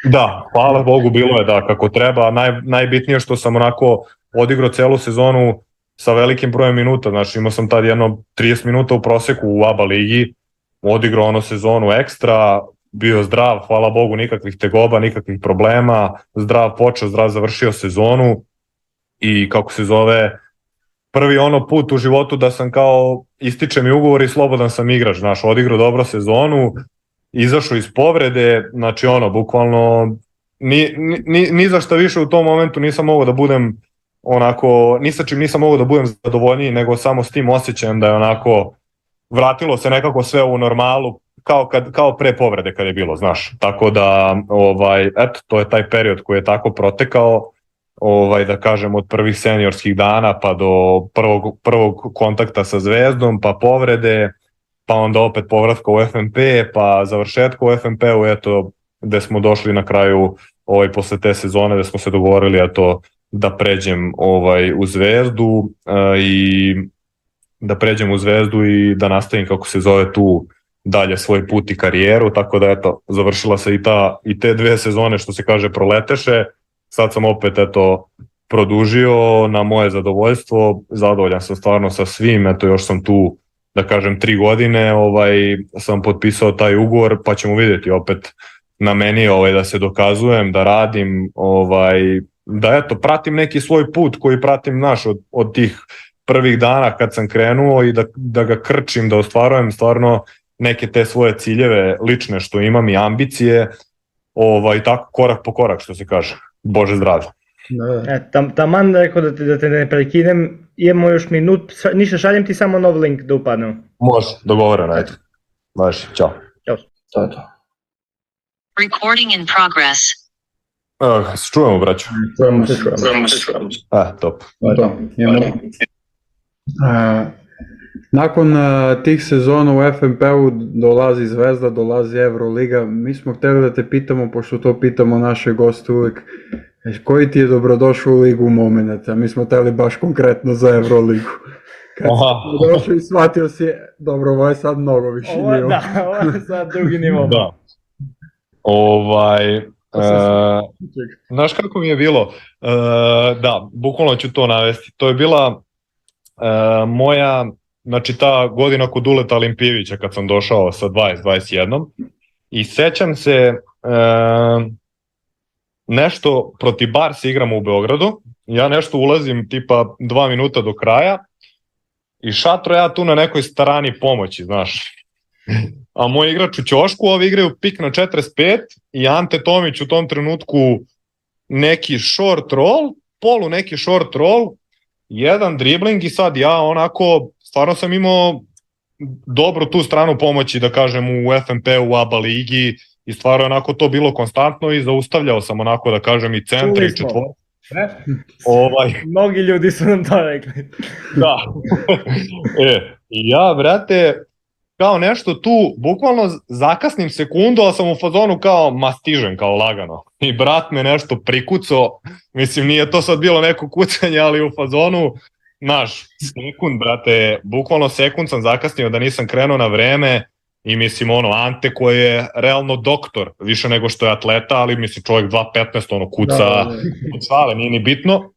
da, hvala Bogu, bilo je da kako treba, Naj, najbitnije što sam onako odigrao celu sezonu sa velikim brojem minuta, znači imao sam tad jedno trideset minuta u proseku u A B A ligi, odigrao ono sezonu ekstra, bio zdrav, hvala Bogu, nikakvih tegoba, nikakvih problema, zdrav počeo, zdrav završio sezonu i kako se zove, prvi ono put u životu da sam kao ističe mi ugovor i slobodan sam igrač, znaš, odigrao dobro sezonu, izašao iz povrede, znači ono, bukvalno ni, ni, ni za šta više u tom momentu nisam mogao da budem onako, ni sa čim nisam mogao da budem zadovoljniji, nego samo s tim osjećajem da je onako vratilo se nekako sve u normalu, kao, kad, kao pre povrede kad je bilo, znaš. Tako da, ovaj, eto, to je taj period koji je tako protekao, ovaj, da kažem, od prvih seniorskih dana pa do prvog, prvog kontakta sa Zvezdom, pa povrede, pa onda opet povratka u F N P, pa završetka u F N P-u, eto, gde smo došli na kraju ovaj, posle te sezone, gde smo se dogovorili, eto, da pređem ovaj, u Zvezdu uh, i da pređem u Zvezdu i da nastavim, kako se zove, tu dalje svoj put i karijeru, tako da eto, završila se i, ta, i te dve sezone, što se kaže, proleteše, sad sam opet eto produžio na moje zadovoljstvo, zadovoljan sam stvarno sa svim, eto još sam tu, da kažem, tri godine, ovaj, sam potpisao taj ugovor, pa ćemo vidjeti opet na meni ovaj, da se dokazujem, da radim, ovaj, da eto, pratim neki svoj put koji pratim naš od, od tih prvih dana kad sam krenuo i da, da ga krčim, da ostvarujem stvarno neke te svoje ciljeve lične što imam i ambicije, ovaj, tako korak po korak, što se kaže. Bože zdravlje. Da. E, tam, taman rekao da te, da te ne prekinem, imamo još minut, ništa, šaljem ti samo nov link da upadnemo. Može, dogovoreno, ajde. Važi, čao. Ćao. To je to. Recording in progress. Uh, se čujemo, braću? Čujemo se, čujemo se, čujemo se. A, top. To je to. Imamo. Uh, nakon uh, tih sezona u F N P-u dolazi Zvezda, dolazi Euroliga. Mi smo hteli da te pitamo, pošto to pitamo naše goste uvijek, koji ti je dobrodošao u ligu momenata? Mi smo hteli baš konkretno za Euroligu. Kad si došao i shvatio si, dobro, ovo je sad mnogo više ovo, nivo. Da, ovo je sad drugi nivo. Da. Ovaj... Uh, znaš kako mi je bilo? Uh, da, bukvalno ću to navesti. To je bila uh, moja, znači ta godina kod Duleta Olimpijevića kad sam došao sa dvadeset dvadeset jedan i sećam se uh, nešto protiv Barsa igramo u Beogradu, ja nešto ulazim tipa dva minuta do kraja i šatro ja tu na nekoj starani pomoći, znaš. A moj igrač u ćošku, ovi igraju pik na četrdeset pet i Ante Tomić u tom trenutku neki short roll, polu neki short roll, jedan dribling i sad ja onako, stvarno sam imao dobro tu stranu pomoći, da kažem, u F N P, u A B A ligi i stvarno onako to bilo konstantno i zaustavljao sam onako, da kažem, i centra i četvora. Ovaj. Mnogi ljudi su nam to rekli. Da. E, i ja, brate, kao nešto tu, bukvalno zakasnim sekundu, ali sam u fazonu kao, ma stižem, kao lagano. I brat me nešto prikucao, mislim nije to sad bilo neko kucanje, ali u fazonu, znaš, sekund, brate, bukvalno sekund sam zakasnio da nisam krenuo na vreme i mislim ono, Ante koji je realno doktor, više nego što je atleta, ali mislim čovjek dva petnaest ono kuca, da, da. Kucale, nije ni bitno.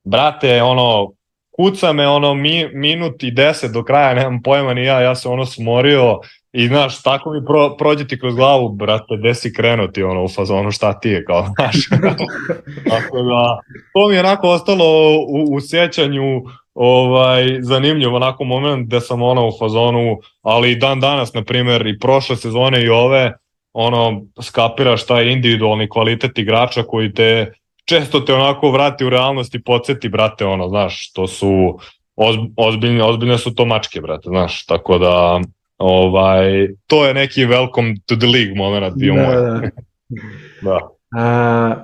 Brate, ono, kuca me ono mi, minut i deset do kraja, nemam pojma ni ja, ja se ono smorio i znaš, tako mi pro, prođe ti kroz glavu, brate, gde si krenuti ono u fazonu, šta ti je, kao, znaš. Tako da, to mi je onako ostalo u, u sjećanju, ovaj, zanimljiv onako moment gde sam ono u fazonu, ali i dan danas, na primjer, i prošle sezone i ove, ono, skapiraš taj individualni kvalitet igrača koji te često te onako vrati u realnost i podsjeti, brate, ono, znaš, to su ozbiljne, ozbiljne su to mačke, brate, znaš, tako da, ovaj, to je neki welcome to the league moment bio da, moj. Da. Da. A,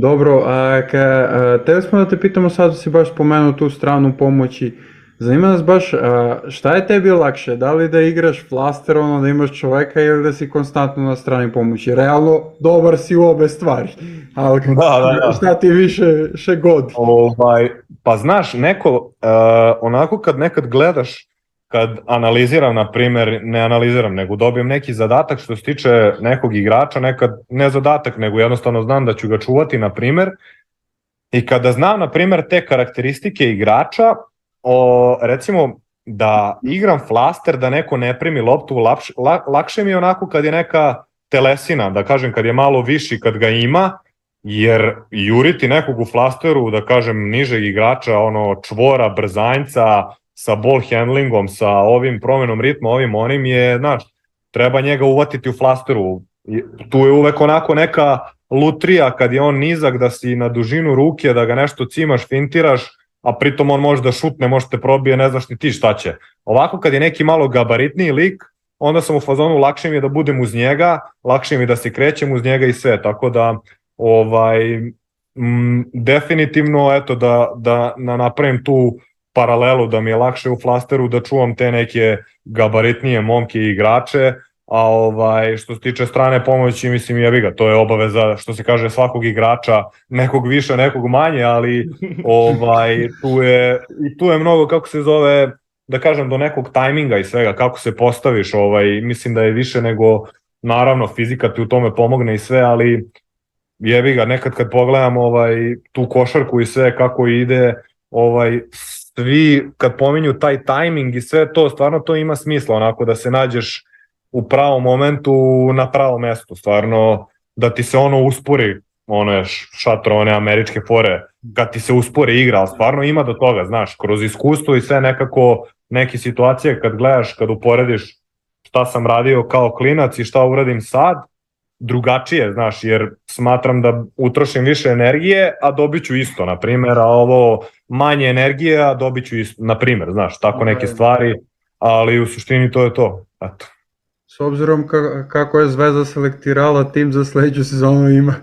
dobro, a, ka, a, tebe smo da te pitamo, sad si baš spomenuo tu stranu pomoći, zanima nas baš a, šta je tebi lakše, da li da igraš flaster, ono da imaš čoveka ili da si konstantno na strani pomoći, realno dobar si u obe stvari, ali da, da, da. šta ti više še godi? Ovaj, pa znaš, neko, uh, onako kad nekad gledaš, kad analiziram, na primjer, ne analiziram, nego dobijem neki zadatak što se tiče nekog igrača, nekad ne zadatak, nego jednostavno znam da ću ga čuvati, na primjer, i kada znam, na primjer, te karakteristike igrača, o, recimo, da igram flaster, da neko ne primi loptu, lakše, lakše mi je onako kad je neka telesina, da kažem, kad je malo viši, kad ga ima, jer juriti nekog u flasteru, da kažem, nižeg igrača, ono, čvora, brzanjca, sa ball handlingom, sa ovim promenom ritma, ovim onim je, znaš, treba njega uvatiti u flasteru. Tu je uvek onako neka lutrija kad je on nizak, da si na dužinu ruke, da ga nešto cimaš, fintiraš, a pritom on može da šutne, može te probije, ne znaš ni ti šta će. Ovako kad je neki malo gabaritniji lik, onda sam u fazonu, lakše mi je da budem uz njega, lakše mi je da se krećem uz njega i sve, tako da ovaj, m, definitivno eto da, da, da napravim tu paralelu, da mi je lakše u flasteru da čuvam te neke gabaritnije momke i igrače, a ovaj, što se tiče strane pomoći, mislim, jebi ga, to je obaveza, što se kaže, svakog igrača, nekog više, nekog manje, ali ovaj, tu je, i tu je mnogo, kako se zove, da kažem, do nekog tajminga i svega, kako se postaviš, ovaj, mislim da je više nego, naravno, fizika ti u tome pomogne i sve, ali jebi ga, nekad kad pogledam ovaj, tu košarku i sve, kako ide, ovaj, svi kad pominju taj tajming i sve to, stvarno to ima smisla, onako da se nađeš u pravom momentu na pravom mestu, stvarno da ti se ono uspori, ono je šatro, one američke fore, kad ti se uspori igra, ali stvarno ima do toga, znaš, kroz iskustvo i sve nekako neke situacije kad gledaš, kad uporediš šta sam radio kao klinac i šta uradim sad, drugačije, znaš, jer smatram da utrošim više energije, a dobit ću isto, na primjer, a ovo manje energije, a dobit ću isto, na primjer, znaš, tako neke stvari, ali u suštini to je to, eto. S obzirom kako je Zvezda selektirala tim za sledeću sezonu, ima,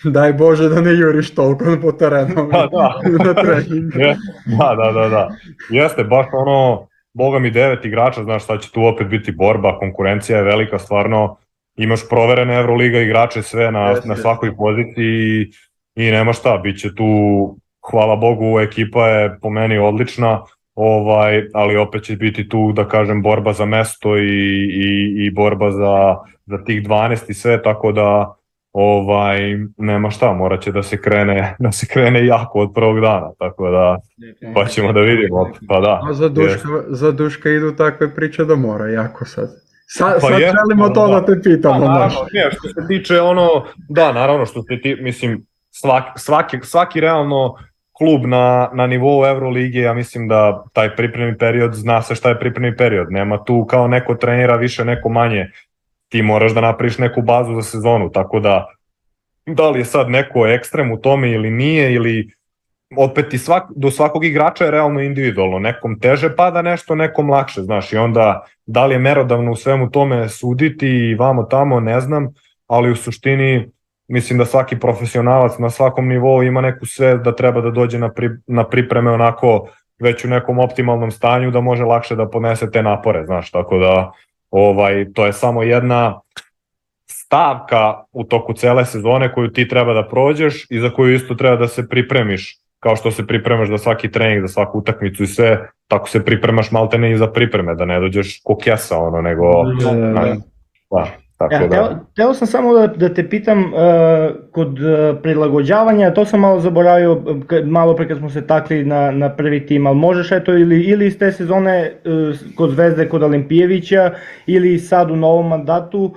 daj Bože da ne juriš toliko po terenu da, da. na trening. Da, da, da, da. Jeste, baš ono, boga mi devet igrača, znaš, sad će tu opet biti borba, konkurencija je velika, stvarno, imaš proverene Euroliga igrače sve na, na svakoj poziciji i, i nema šta, bit će tu, hvala Bogu, ekipa je po meni odlična, ovaj, ali opet će biti tu, da kažem, borba za mesto i, i, i borba za, za tih dvanaest i sve, tako da ovaj, nema šta, morat će da se krene, da se krene jako od prvog dana, tako da pa ćemo da vidimo, pa da. A za Duška, za Duška idu takve priče da mora jako sad. Sad, pa sad je, želimo to da, da te pitamo. Da, naravno, nije, što se tiče ono, da, naravno, što se ti, mislim, svaki, svaki, svaki realno klub na, na nivou Evrolige, ja mislim da taj pripremni period, zna se šta je pripremni period, nema tu kao neko trenira više, neko manje, ti moraš da napraviš neku bazu za sezonu, tako da, da li je sad neko ekstrem u tome ili nije, ili opet i svak, do svakog igrača je realno individualno, nekom teže pada nešto, nekom lakše, znaš, i onda da li je merodavno u svemu tome suditi i vamo tamo, ne znam, ali u suštini mislim da svaki profesionalac na svakom nivou ima neku sve da treba da dođe na, pri, na pripreme onako već u nekom optimalnom stanju da može lakše da podnese te napore, znaš, tako da ovaj, to je samo jedna stavka u toku cele sezone koju ti treba da prođeš i za koju isto treba da se pripremiš, kao što se pripremaš za svaki trening, za svaku utakmicu i sve, tako se pripremaš maltene i za pripreme, da ne dođeš ko kesa, ono, nego... Da, da, da. Da. Tako Ja, da... teo, teo sam samo da, da te pitam uh, kod uh, prilagođavanja, to sam malo zaboravio k- malo pre kad smo se takli na, na prvi tim, ali možeš eto ili, ili iz te sezone uh, kod Zvezde kod Olimpijevića ili sad u novom mandatu, uh,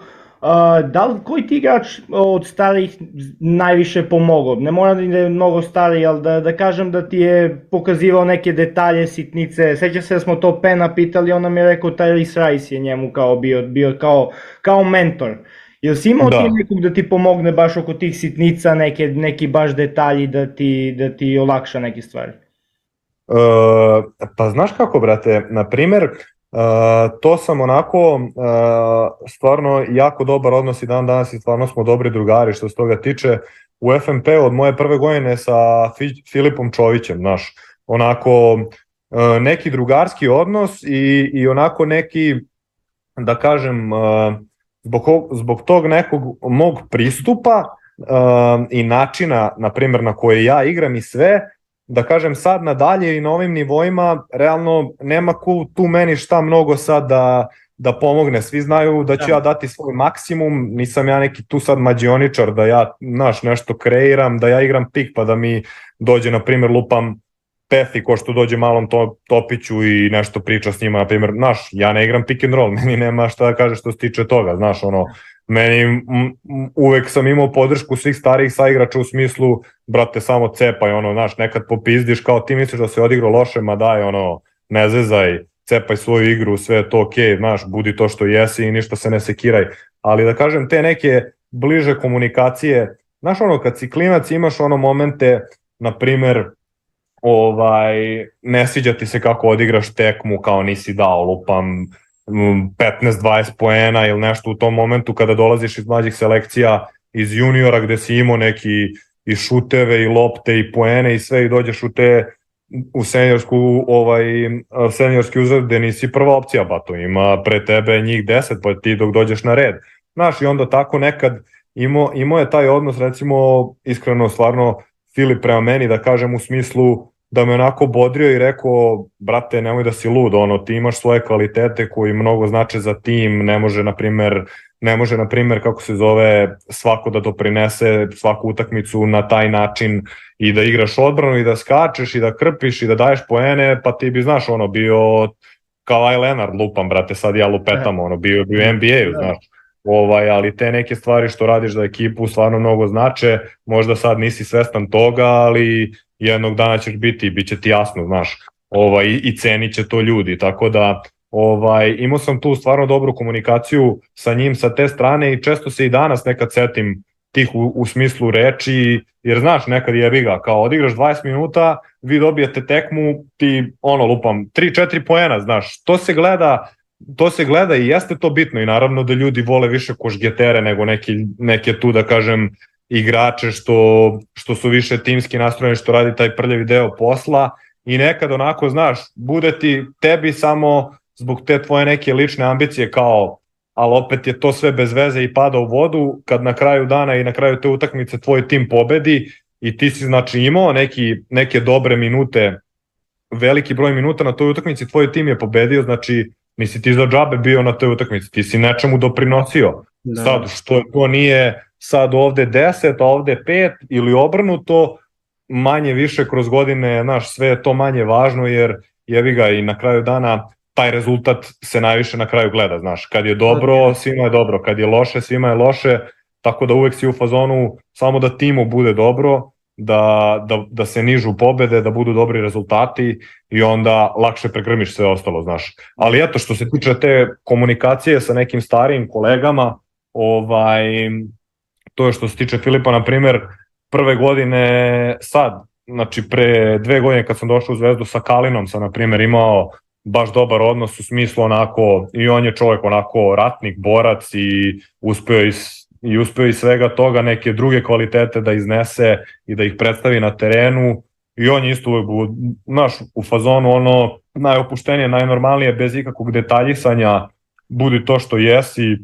da li koji ti igrač od starih najviše pomogao? Ne mora da je mnogo stariji, ali da, da kažem da ti je pokazivao neke detalje, sitnice. Seća se da smo to Pena pitali, on nam je rekao Tyrese Rice je njemu kao bio, bio kao, kao mentor. Jel si imao Da. ti nekog da ti pomogne baš oko tih sitnica, neke, neki baš detalji da ti, da ti olakša neke stvari? Uh, pa znaš kako, brate, na primer, uh, to sam onako uh, stvarno jako dobar odnos i dan danas i stvarno smo dobri drugari što se toga tiče. U F M P od moje prve godine sa Fi- Filipom Čovićem, znaš, onako uh, neki drugarski odnos i, i onako neki, da kažem, uh, zbog, zbog tog nekog mog pristupa uh, i načina, na primjer, na koje ja igram i sve, da kažem sad nadalje i na ovim nivoima, realno nema ko tu meni šta mnogo sad da, da pomogne. Svi znaju da ću Da. ja dati svoj maksimum, nisam ja neki tu sad mađioničar da ja, znaš, nešto kreiram, da ja igram pik pa da mi dođe, na primjer, lupam Pethi ko što dođe malom to, Topiću i nešto priča s njima, na primjer, znaš, ja ne igram pick and roll, meni nema šta da kaže što se tiče toga, znaš, ono, meni m, m, uvek sam imao podršku svih starijih saigrača u smislu, brate, samo cepaj, ono, znaš, nekad popizdiš kao ti misliš da se odigrao loše, ma daj, ono, ne zezaj, cepaj svoju igru, sve je to okej, okay, znaš, budi to što jesi i ništa se ne sekiraj, ali da kažem, te neke bliže komunikacije, znaš, ono, kad si klinac imaš ono momente, na primjer, ovaj, ne sviđa ti se kako odigraš tekmu, kao nisi dao, lupam, petnaest dvadeset poena ili nešto u tom momentu kada dolaziš iz mlađih selekcija, iz juniora gde si imao neki i šuteve i lopte i poene i sve i dođeš u te u seniorsku, ovaj, seniorski uzred gde nisi prva opcija, ba to ima pre tebe njih deset, pa ti dok dođeš na red. Znaš, i onda tako nekad imao, imao je taj odnos, recimo, iskreno, stvarno, Filip prema meni, da kažem, u smislu da me onako bodrio i rekao, brate, nemoj da si lud, ono, ti imaš svoje kvalitete koji mnogo znače za tim, ne može, na primer, ne može, na primer, kako se zove, svako da doprinese svaku utakmicu na taj način i da igraš odbranu i da skačeš i da krpiš i da daješ poene, pa ti bi, znaš, ono, bio kao Leonard, lupam, brate, sad ja lupetam, ono, bio bi u N B A-u, znaš. Ovaj, ali te neke stvari što radiš za ekipu stvarno mnogo znače, možda sad nisi svestan toga, ali jednog dana ćeš biti i bit će ti jasno, znaš, ovaj, i cenit će to ljudi, tako da ovaj, imao sam tu stvarno dobru komunikaciju sa njim sa te strane i često se i danas nekad setim tih u, u smislu reči, jer znaš, nekad jebi ga, kao odigraš dvadeset minuta, vi dobijete tekmu, ti ono lupam tri četiri poena, znaš, to se gleda to se gleda i jeste to bitno i naravno da ljudi vole više košgetere nego neki, neke tu, da kažem, igrače što, što su više timski nastrojeni, što radi taj prljavi deo posla i nekad onako, znaš, bude ti tebi samo zbog te tvoje neke lične ambicije kao, ali opet je to sve bez veze i pada u vodu kad na kraju dana i na kraju te utakmice tvoj tim pobedi i ti si znači imao neki, neke dobre minute, veliki broj minuta na toj utakmici, tvoj tim je pobedio, znači nisi ti za džabe bio na toj utakmici, ti si nečemu doprinosio. Da. Sad, što to nije sad ovde deset, a ovde pet ili obrnuto, manje više kroz godine, znaš, sve je to manje važno jer jebi ga i na kraju dana taj rezultat se najviše na kraju gleda, znaš, kad je dobro, svima je dobro, kad je loše, svima je loše, tako da uvek si u fazonu samo da timu bude dobro, da, da, da se nižu pobede, da budu dobri rezultati i onda lakše pregrmiš sve ostalo, znaš. Ali eto, što se tiče te komunikacije sa nekim starijim kolegama, ovaj, to je što se tiče Filipa, na primjer, prve godine sad, znači pre dve godine kad sam došao u Zvezdu sa Kalinom sam, na primjer, imao baš dobar odnos u smislu onako, i on je čovjek onako ratnik, borac i uspeo iz i uspeo iz svega toga neke druge kvalitete da iznese i da ih predstavi na terenu i on je isto uvek, znaš, u fazonu ono najopuštenije, najnormalnije, bez ikakvog detaljisanja, budi to što jesi,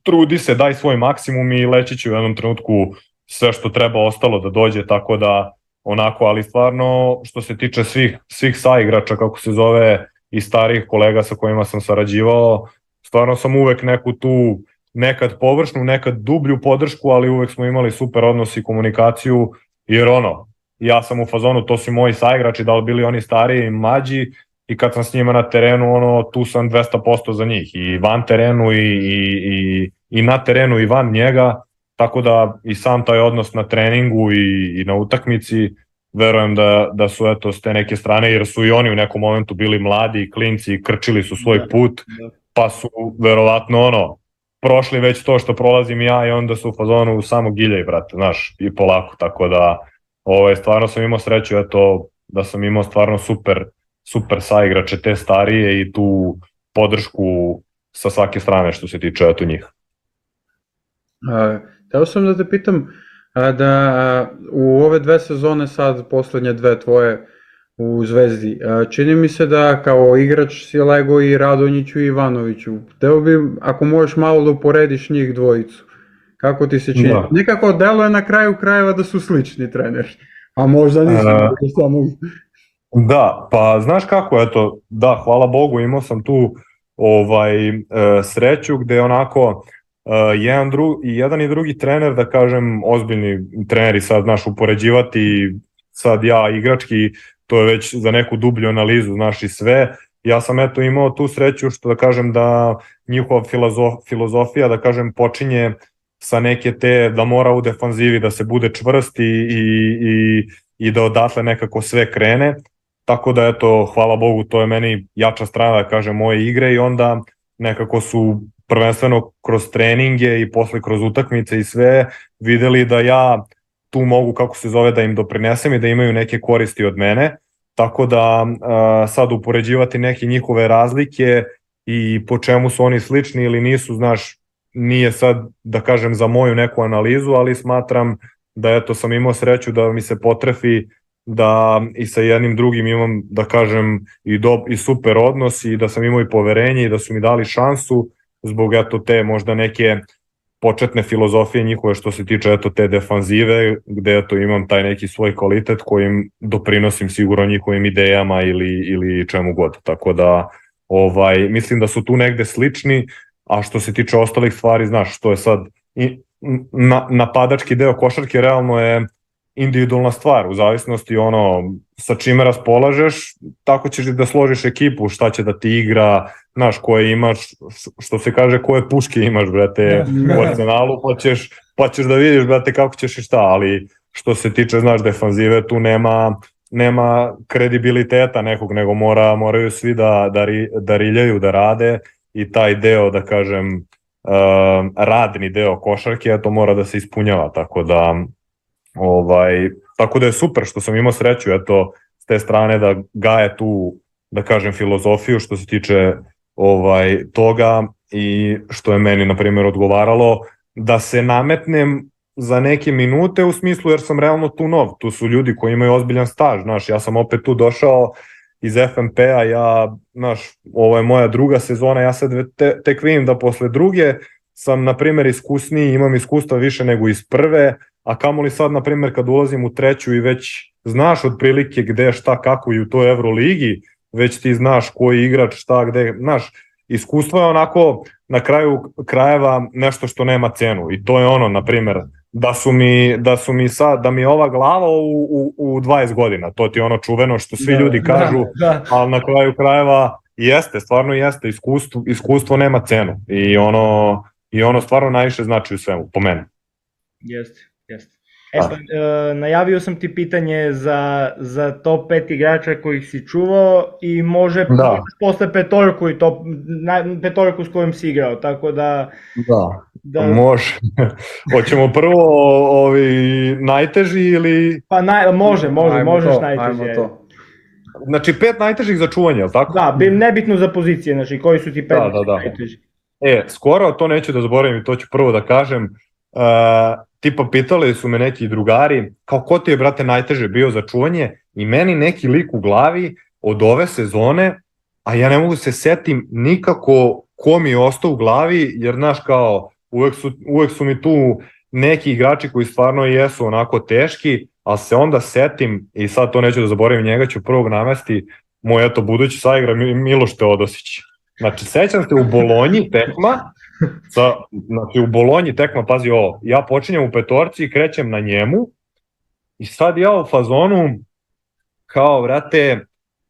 trudi se, daj svoj maksimum i leći će u jednom trenutku sve što treba ostalo da dođe, tako da onako, ali stvarno što se tiče svih, svih saigrača, kako se zove, i starih kolega sa kojima sam sarađivao, stvarno sam uvek neku tu nekad površnu, nekad dublju podršku, ali uvek smo imali super odnos i komunikaciju, jer ono, ja sam u fazonu, to su moji saigrači, da li bili oni stariji i mlađi, i kad sam s njima na terenu, ono, tu sam dvesta posto za njih, i van terenu i, i, i, i na terenu i van njega, tako da i sam taj odnos na treningu i, i na utakmici, verujem da, da su eto s te neke strane, jer su i oni u nekom momentu bili mladi i klinci i krčili su svoj put, pa su verovatno ono, prošli već to što prolazim ja i onda su u fazonu samo giljaj, brate, znaš, i polako, tako da ovaj, stvarno sam imao sreću, eto, da sam imao stvarno super, super saigrače te starije i tu podršku sa svake strane što se tiče eto njih. Uh, Teo sam da te pitam, da u ove dve sezone sad, poslednje dve tvoje u Zvezdi, čini mi se da kao igrač si lego i Radonjiću i Ivanoviću. Teo bi, ako možeš malo da uporediš njih dvojicu, kako ti se čini? Da. Nekako deluje na kraju krajeva da su slični treneri, a možda nisu. Uh, samo... Da, pa znaš kako, eto, da, hvala Bogu, imao sam tu ovaj, sreću gde onako Uh, jedan, dru, jedan i drugi trener, da kažem, ozbiljni treneri, sad znaš, upoređivati sad ja igrački, to je već za neku dublju analizu, znaš, i sve. Ja sam eto imao tu sreću što da kažem da njihova filozof, filozofija, da kažem, počinje sa neke te da mora u defanzivi da se bude čvrst i, i, i, i da odatle nekako sve krene. Tako da eto, hvala Bogu, to je meni jača strana, da kažem, moje igre i onda nekako su prvenstveno kroz treninge i posle kroz utakmice i sve videli da ja tu mogu, kako se zove, da im doprinesem i da imaju neke koristi od mene, tako da a, sad upoređivati neke njihove razlike i po čemu su oni slični ili nisu, znaš, nije sad da kažem za moju neku analizu, ali smatram da eto sam imao sreću da mi se potrefi da i sa jednim drugim imam, da kažem, i, do, i super odnos i da sam imao i poverenje i da su mi dali šansu zbog eto te možda neke početne filozofije njihove što se tiče eto te defanzive, gde eto imam taj neki svoj kvalitet kojim doprinosim sigurno njihovim idejama ili, ili čemu god. Tako da ovaj, mislim da su tu negde slični, a što se tiče ostalih stvari, znaš, što je sad i, na, napadački deo košarke realno je individualna stvar, u zavisnosti ono sa čime raspolažeš, tako ćeš da složiš ekipu, šta će da ti igra, znaš, koje imaš, što se kaže, koje puške imaš, brate, u arsenalu, pa ćeš, pa ćeš da vidiš, brate, kako ćeš i šta, ali što se tiče, znaš, defanzive, tu nema, nema kredibiliteta nekog, nego mora, moraju svi da, da, ri, da riljaju, da rade i taj deo, da kažem, uh, radni deo košarke, to mora da se ispunjava, tako da Ovaj, tako da je super što sam imao sreću eto s te strane da gaje tu, da kažem, filozofiju što se tiče ovaj toga i što je meni na primjer odgovaralo da se nametnem za neke minute u smislu jer sam realno tu nov, tu su ljudi koji imaju ozbiljan staž, znaš, ja sam opet tu došao iz F M P-a, ja, znaš, ovo je moja druga sezona, ja sad te, tek vidim da posle druge sam na primjer iskusniji, imam iskustva više nego iz prve, a kamoli sad, na primjer, kad ulazim u treću i već znaš otprilike gde, šta, kako i u toj Euroligi, već ti znaš koji igrač, šta, gde, znaš, iskustvo je onako na kraju krajeva nešto što nema cenu i to je ono, na primjer, da su mi, da su mi sad, da mi je ova glava u, u, u dvadeset godina, to ti je ono čuveno što svi da, ljudi kažu, da, da. Ali na kraju krajeva jeste, stvarno jeste, iskustvo, iskustvo nema cenu i ono, i ono stvarno najviše znači u svemu, po meni. Jeste. Jeste. E pa, e, najavio sam ti pitanje za, za top pet igrača kojih si čuvao i može da. Posle petorku i top, na, petorku s kojim si igrao, tako da... Da, da... može. Hoćemo prvo ovi najteži ili... Pa naj, može, može, ajmo možeš to, najteži. To. Znači pet najtežih za čuvanje, je li tako? Da, nebitno za pozicije, znači koji su ti pet da, da, da. najteži. E, skoro, to neću da zaboravim i to ću prvo da kažem, uh, tipa pitali su me neki drugari, kao ko ti je, brate, najteže bio za čuvanje i meni neki lik u glavi od ove sezone, a ja ne mogu se setim nikako ko mi je ostao u glavi, jer znaš kao uvek su, uvek su mi tu neki igrači koji stvarno jesu onako teški, ali se onda setim i sad to neću da zaboravim, njega ću prvog navesti, moj eto budući saigra Miloš Teodosić. Znači sećam se u Bolonji tekma, Sa, znači u Bolonji tekma, pazi ovo, ja počinjem u petorci, krećem na njemu i sad ja u fazonu kao, vrate,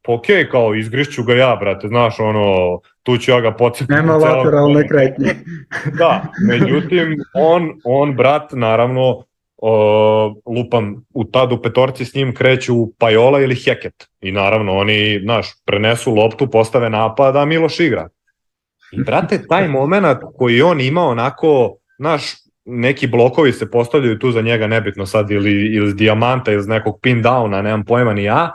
ok, kao izgrišću ga ja, brate, znaš, ono, tu ću ja ga podsjetiti. Nema lateralne kretnje. Da, međutim, on, on brat, naravno, o, lupam, u tad u petorci s njim kreću Pajola ili Heket. I naravno, oni, znaš, prenesu loptu, postave napad, a Miloš igra. I, brate, taj moment koji on ima onako, znaš, neki blokovi se postavljaju tu za njega, nebitno sad, ili, ili iz dijamanta, ili iz nekog pin downa, nemam pojma ni ja.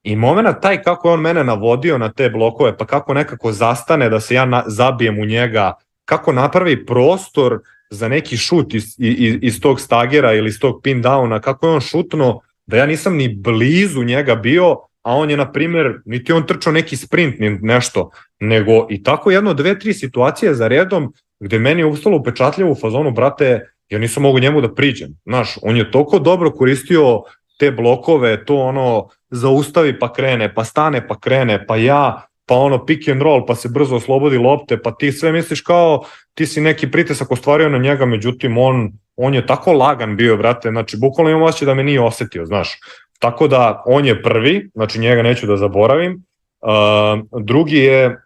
I moment taj kako je on mene navodio na te blokove, pa kako nekako zastane da se ja na, zabijem u njega, kako napravi prostor za neki šut iz, iz, iz tog stagera ili iz tog pin downa, kako je on šutno, da ja nisam ni blizu njega bio, a on je, na primjer, niti on trčao neki sprint, ni nešto, nego i tako jedno, dve, tri situacije za redom, gde meni je ustalo upečatljivo u fazonu, brate, ja nisam mogu njemu da priđem. Znaš, on je toliko dobro koristio te blokove, to ono, zaustavi pa krene, pa stane pa krene, pa ja, pa ono pick and roll, pa se brzo oslobodi lopte, pa ti sve misliš kao ti si neki pritisak ostvario na njega, međutim on, on je tako lagan bio, brate, znači bukvalno imam osjećaj da me nije osetio, znaš. Tako da on je prvi, znači njega neću da zaboravim. Uh, drugi je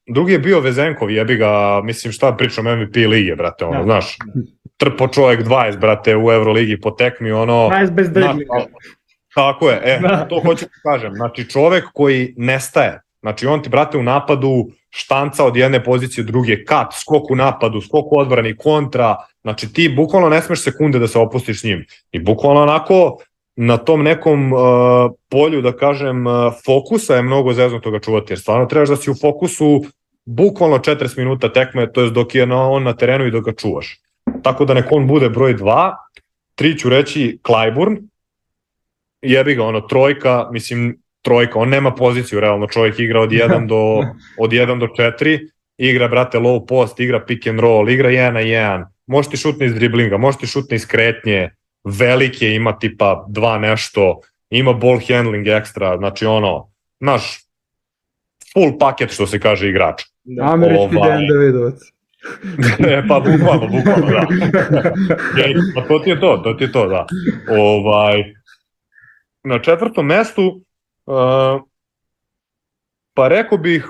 drugi je bio Vezenkov, jebi ga, mislim šta pričam M V P lige, brate, ono, ja. Znaš, trpo čovjek dvadeset, brate, u Euroligi po tekmi, ono... dvadeset bez driblinga. Tako je, e, da. To hoću da kažem, znači čovjek koji nestaje, znači on ti, brate, u napadu štanca od jedne pozicije u druge, kat, skok u napadu, skok u odbrani, kontra, znači ti bukvalno ne smeš sekunde da se opustiš s njim i bukvalno onako na tom nekom uh, polju, da kažem, uh, fokusa je mnogo zezno toga čuvati, jer stvarno trebaš da si u fokusu bukvalno četrdeset minuta tekme, to je dok je na, on na terenu i dok ga čuvaš. Tako da nek on bude broj dva, tri ću reći Clyburn, jebi ga, ono, trojka, mislim, trojka, on nema poziciju, realno, čovjek igra od jedan do, od jedan do četiri, igra, brate, low post, igra pick and roll, igra jedan na jedan, može ti šutne iz driblinga, može ti šutne iz kretnje, velike, ima tipa dva nešto, ima ball handling ekstra, znači ono, naš full paket, što se kaže, igrač. Da, američki ovaj... Dejan Davidovac. E, pa bukvalno, bukvalno, da. Pa to ti je to, to ti je to, da. Ovaj, na četvrtom mestu, uh, pa rekao bih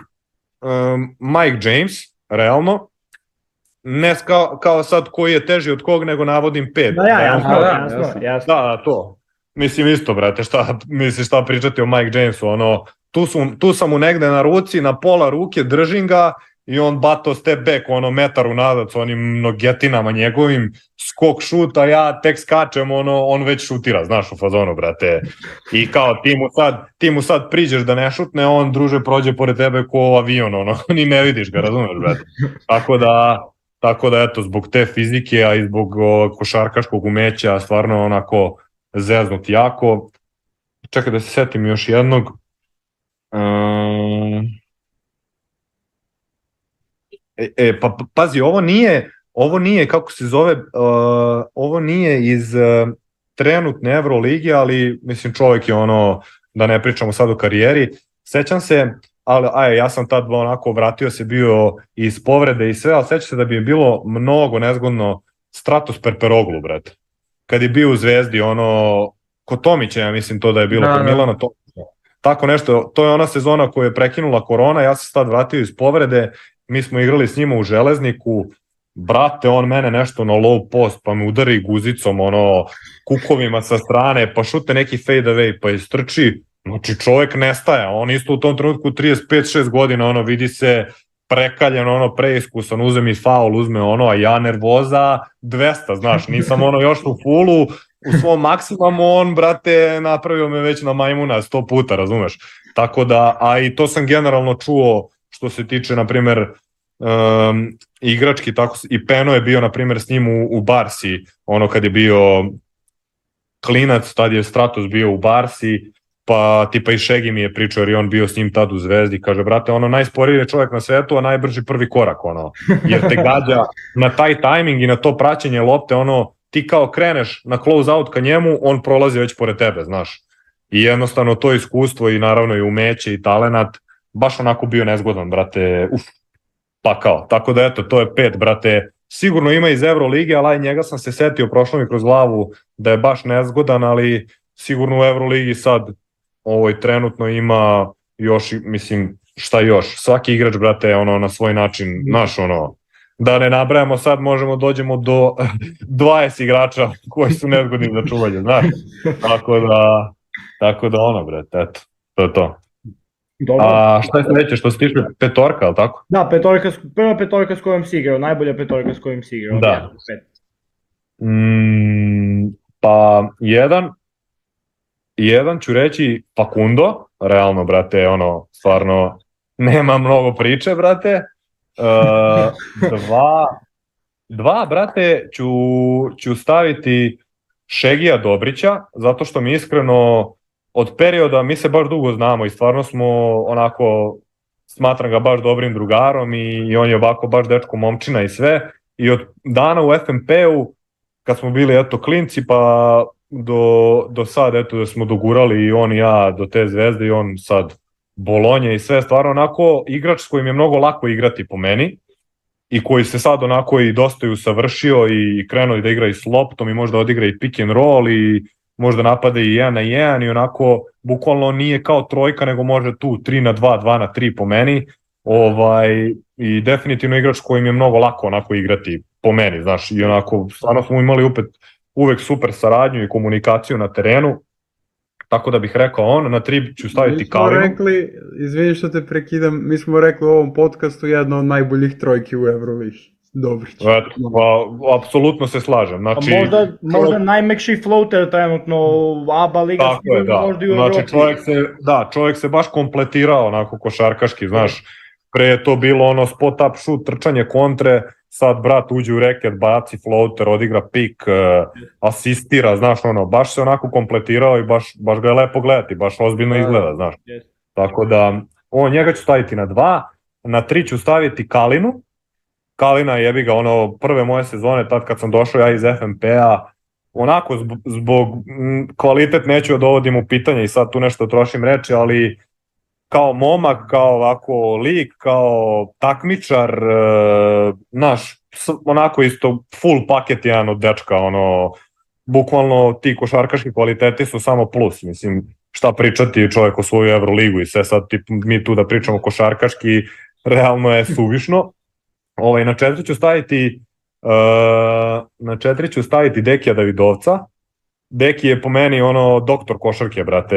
um, Mike James, realno, ne kao, kao sad koji je teži od kog, nego navodim pet. Da, ja, jasno, da, jasno, jasno, jasno. Da, da, to. Mislim isto, brate, šta, misliš šta pričati o Mike Jamesu, ono, tu, su, tu sam mu negde na ruci, na pola ruke, držim ga i on bato step back, ono, metar unazad s onim nogetinama njegovim, skok šut, a ja tek skačem, ono, on već šutira, znaš, u fazonu, brate. I kao, ti mu sad, ti mu sad priđeš da ne šutne, on, druže, prođe pored tebe ko avion, ono, ni ne vidiš ga, razumeš, brate. Tako da... Tako da, eto, zbog te fizike, a i zbog o, košarkaškog umeća, stvarno onako zeznut jako. Čekaj da se setim još jednog. Um, e, e, pa pazi, ovo nije, ovo nije, kako se zove, uh, ovo nije iz uh, trenutne Euroligi, ali mislim čovjek je ono, da ne pričamo sad o karijeri. Sećam se, ali aj, ja sam tad onako vratio se bio iz povrede i sve, ali sećam se da bi je bilo mnogo nezgodno Stratos Perperoglu, brate. Kad je bio u Zvezdi, ono, kod Tomića, ja mislim to da je bilo, da, kod Milana Tomića. Tako nešto, to je ona sezona koju je prekinula korona, ja sam se tad vratio iz povrede, mi smo igrali s njima u Železniku, brate, on mene nešto na low post, pa me udari guzicom, ono, kukovima sa strane, pa šute neki fade away, pa istrči. Znači čovjek nestaje, on isto u tom trenutku trideset pet šest godina, ono vidi se prekaljen, ono preiskusan, uzme mi faul, uzme ono, a ja nervoza dvesta, znaš, nisam ono još u fullu, u svom maksimumu, on, brate, napravio me već na majmuna sto puta, razumeš? Tako da, a i to sam generalno čuo što se tiče, na primer, um, igrački, tako, i Peno je bio, na primer, s njim u, u Barsi, ono kad je bio klinac, tad je Stratos bio u Barsi, pa tipa i Šegi mi je pričao jer je on bio s njim tad u Zvezdi, kaže, brate, ono, najsporiji je čovjek na svetu, a najbrži prvi korak, ono, jer te gađa na taj tajming i na to praćenje lopte, ono, ti kao kreneš na close out ka njemu, on prolazi već pored tebe, znaš, i jednostavno to iskustvo i naravno i umeće i talenat, baš onako bio nezgodan, brate, uf. pakao. Tako da eto, to je pet, brate. Sigurno ima iz Evrolige, ali aj njega sam se setio, prošlo mi kroz glavu da je baš nezgodan, ali sigurno u Evroligi sad ovoj trenutno ima još, mislim, šta još, svaki igrač, brate, ono, na svoj način, naš, ono, da ne nabrajamo sad, možemo dođemo do dvadeset igrača koji su nezgodni za čuvanje, znaš, tako da, tako da ono, brate, eto, to je to. Dobro. A šta je sledeće, što se tiče petorka, ali tako? Da, petorka, prva petorka s kojom si igrao, najbolja petorka s kojom si igrao. Da. Mm, pa jedan, jedan ću reći Facundo, realno, brate, ono, stvarno, nema mnogo priče, brate. Uh, dva, dva, brate, ću, ću staviti Šegija Dobrića, zato što mi iskreno od perioda, mi se baš dugo znamo i stvarno smo onako, smatram ga baš dobrim drugarom i, i on je ovako baš dečko momčina i sve. I od dana u F M P-u, kad smo bili eto klinci, pa do, do sad eto da smo dogurali i on i ja do te zvezde i on sad Bolonje i sve, stvarno onako igrač s kojim je mnogo lako igrati po meni i koji se sad onako i dosta i usavršio i krenuo da igra i s loptom i možda odigra i pick and roll i možda napade i jedan na jedan i onako bukvalno nije kao trojka nego može tu tri na dva, dva na tri po meni, ovaj, i definitivno igrač s kojim je mnogo lako onako igrati po meni, znaš, i onako stvarno smo imali opet uvek super saradnju i komunikaciju na terenu. Tako da bih rekao on, na tri ću staviti Kalinu. Mi smo rekli, izvini što te prekidam, mi smo rekli u ovom podcastu jedno od najboljih trojki u Euroligi. Dobrić. Eto, pa, apsolutno se slažem. Znači, možda, možda najmekši floater trenutno u A B A liga. Tako je, da. Možda i u znači, Evropi. čovjek se, da, čovjek se baš kompletirao onako košarkaški, znaš. Pre je to bilo ono spot up shoot, trčanje kontre, sad brat uđe u reket, baci floater, odigra pik, uh, asistira, znaš, ono, baš se onako kompletirao i baš, baš ga je lepo gledati, baš ozbiljno izgleda, znaš. Yes. Tako da, on, njega ću staviti na dva, na tri ću staviti Kalinu. Kalina jebi ga, ono, prve moje sezone, tad kad sam došao ja iz F M P-a, onako zbog, zbog m, kvalitet neću da dovodim u pitanje i sad tu nešto trošim reči, ali kao momak, kao ovako lik, kao takmičar, e, naš, onako isto full paket jedan od dečka, ono, bukvalno ti košarkaški kvaliteti su samo plus, mislim, šta pričati čovjek o svoju Evroligu i sve sad tip, mi tu da pričamo košarkaški, realno je suvišno. Ovaj, na četiri ću staviti uh, na četiri ću staviti Dekija Davidovca. Deki je po meni ono doktor košarke, brate,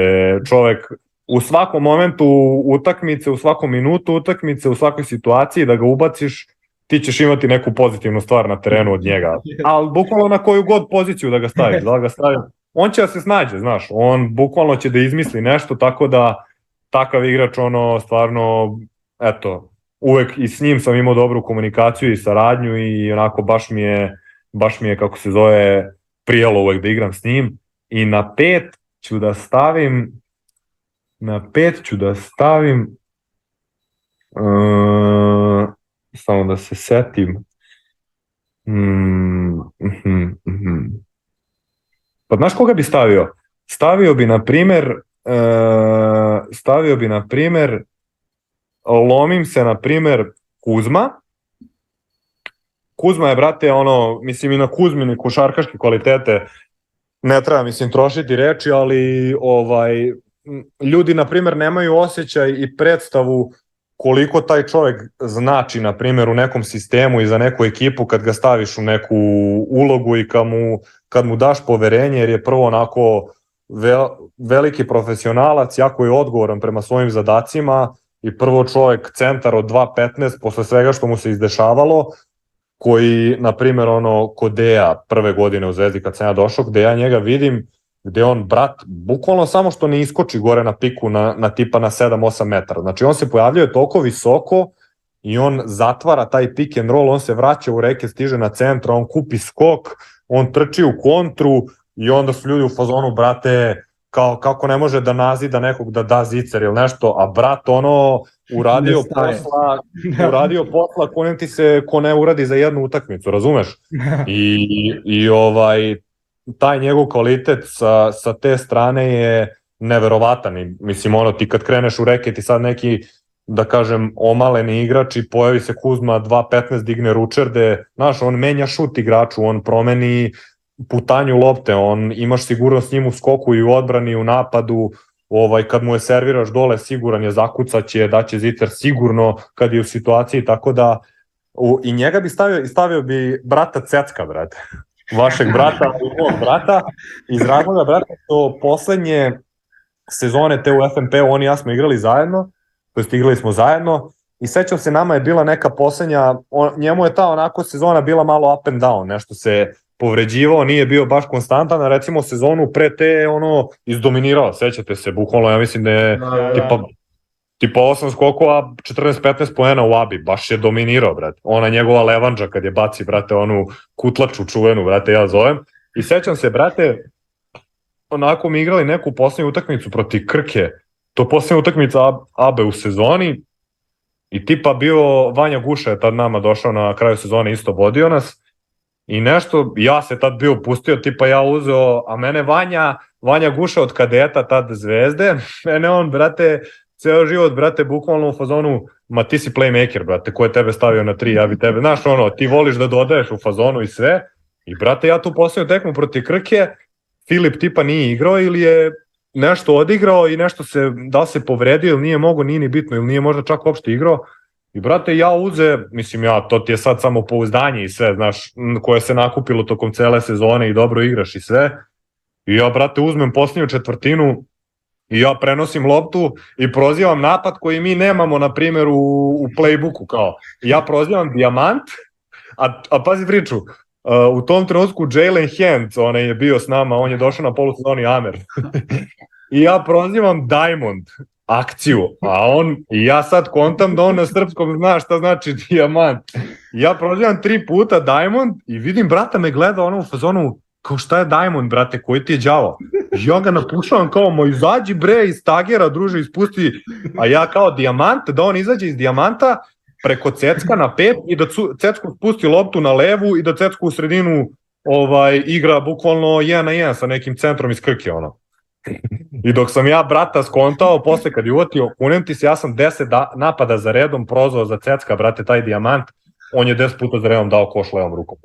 čovek u svakom momentu utakmice, u svakom minutu utakmice, u svakoj situaciji da ga ubaciš, ti ćeš imati neku pozitivnu stvar na terenu od njega. Ali bukvalno na koju god poziciju da ga staviš, da ga staviš, on će da se snađe, znaš, on bukvalno će da izmisli nešto, tako da takav igrač, ono, stvarno, eto, uvek i s njim sam imao dobru komunikaciju i saradnju i onako baš mi je, baš mi je kako se zove, prijelo uvek da igram s njim. I na pet ću da stavim, na pet ću da stavim, uh, samo da se setim, mm, mm, mm. Pa znaš koga bi stavio? Stavio bi na primer, uh, stavio bi na primer, lomim se na primer Kuzma. Kuzma je, brate, ono, mislim i na Kuzmini košarkaške kvalitete ne treba, mislim, trošiti reči, ali ovaj, ljudi, na primer, nemaju osjećaj i predstavu koliko taj čovjek znači, na primjer, u nekom sistemu i za neku ekipu kad ga staviš u neku ulogu i kad mu, kad mu daš poverenje, jer je prvo onako vel, veliki profesionalac, jako je odgovoran prema svojim zadacima i prvo čovjek centar od dva petnaest posle svega što mu se izdešavalo, koji, na primjer, ono, kod Deja prve godine u Zvezdi kad sam ja došao, gde ja njega vidim, gde on, brat, bukvalno samo što ne iskoči gore na piku na, na tipa na sedam osam metara. Znači on se pojavljuje toliko visoko i on zatvara taj pick and roll, on se vraća u reke, stiže na centra, on kupi skok, on trči u kontru i onda su ljudi u fazonu, brate, kao, kako ne može da nazida nekog da da zicer ili nešto, a brat ono uradio posla, uradio posla ko ne ti se, ko ne uradi za jednu utakmicu, razumeš? I, i ovaj, taj njegov kvalitet sa, sa te strane je neverovatan i mislim ono ti kad kreneš u reket i sad neki da kažem, omaleni igrači, pojavi se Kuzma, dva petnaest digne ručerde, znaš, on menja šut igraču, on promeni putanju lopte, on imaš sigurnost s njim u skoku i u odbrani i u napadu, ovaj, kad mu je serviraš dole, siguran je, zakucaće, daće zicer sigurno kad je u situaciji, tako da u, i njega bi stavio, i stavio bi brata Cecka, brate, vašeg brata i mog brata, iz razloga, brate, to poslednje sezone te u F N P-u, oni i ja smo igrali zajedno, to jest igrali smo zajedno, i sećam se, nama je bila neka poslednja, on, njemu je ta onako sezona bila malo up and down, nešto se povređivao, nije bio baš konstantan, a recimo sezonu pre te je ono izdominirao, sećate se, bukvalno ja mislim da je Da, da. tipa, tipa osam skokova, četrnaest petnaest poena u Abi, baš je dominirao, brate. Ona njegova levanđa kad je baci, brate, onu kutlaču čuvenu, brate, ja zovem. I sećam se, brate, onako mi igrali neku poslednju utakmicu protiv Krke, to poslednja utakmica Abe u sezoni, i tipa bio Vanja Guša je tad nama došao na kraju sezone, isto vodio nas, i nešto, ja se tad bio pustio, tipa ja uzeo, a mene Vanja, Vanja Guša od kadeta, tad Zvezde, mene on, brate, ceo život, brate, bukvalno u fazonu, ma ti si playmaker, brate, ko je tebe stavio na tri, ja bi tebe, znaš ono, ti voliš da dodaješ u fazonu i sve, i brate, ja tu posljednju tekmu protiv Krke, Filip tipa nije igrao ili je nešto odigrao i nešto se, da se povredio ili nije mogo, nije ni bitno, ili nije možda čak uopšte igrao. I brate, ja uze, mislim ja, to ti je sad samo pouzdanje i sve, znaš, koje se nakupilo tokom cele sezone i dobro igraš i sve. I ja, brate, uzmem posljednju četvrtinu i ja prenosim loptu i prozivam napad koji mi nemamo, na primjer, u, u playbooku, kao. Ja prozivam Dijamant, a, a pazi priču, Uh, u tom trenutku Jalen Hent, on je bio s nama, on je došao na polusezoni Amer. I ja prozivam Diamond akciju, a on, i ja sad kontam da on na srpskom zna šta znači dijamant. I ja prozivam tri puta Diamond i vidim brata me gleda ono u fazonu, kao šta je Diamond, brate, koji ti je đavo? I ja ga napušavam kao, moj izađi bre iz tagera, druže, ispusti, a ja kao dijamant, da on izađe iz dijamanta, preko Cecka na pet i da Cecku spusti loptu na levu i da Cecku u sredinu ovaj, igra bukvalno jedan na jedan sa nekim centrom iz Krke, ono. I dok sam ja brata skontao, posle kad je uvatio, kunem ti se, ja sam deset da, napada za redom prozvao za Cecka, brate, taj dijamant, on je deset puta za redom dao koš levom rukom.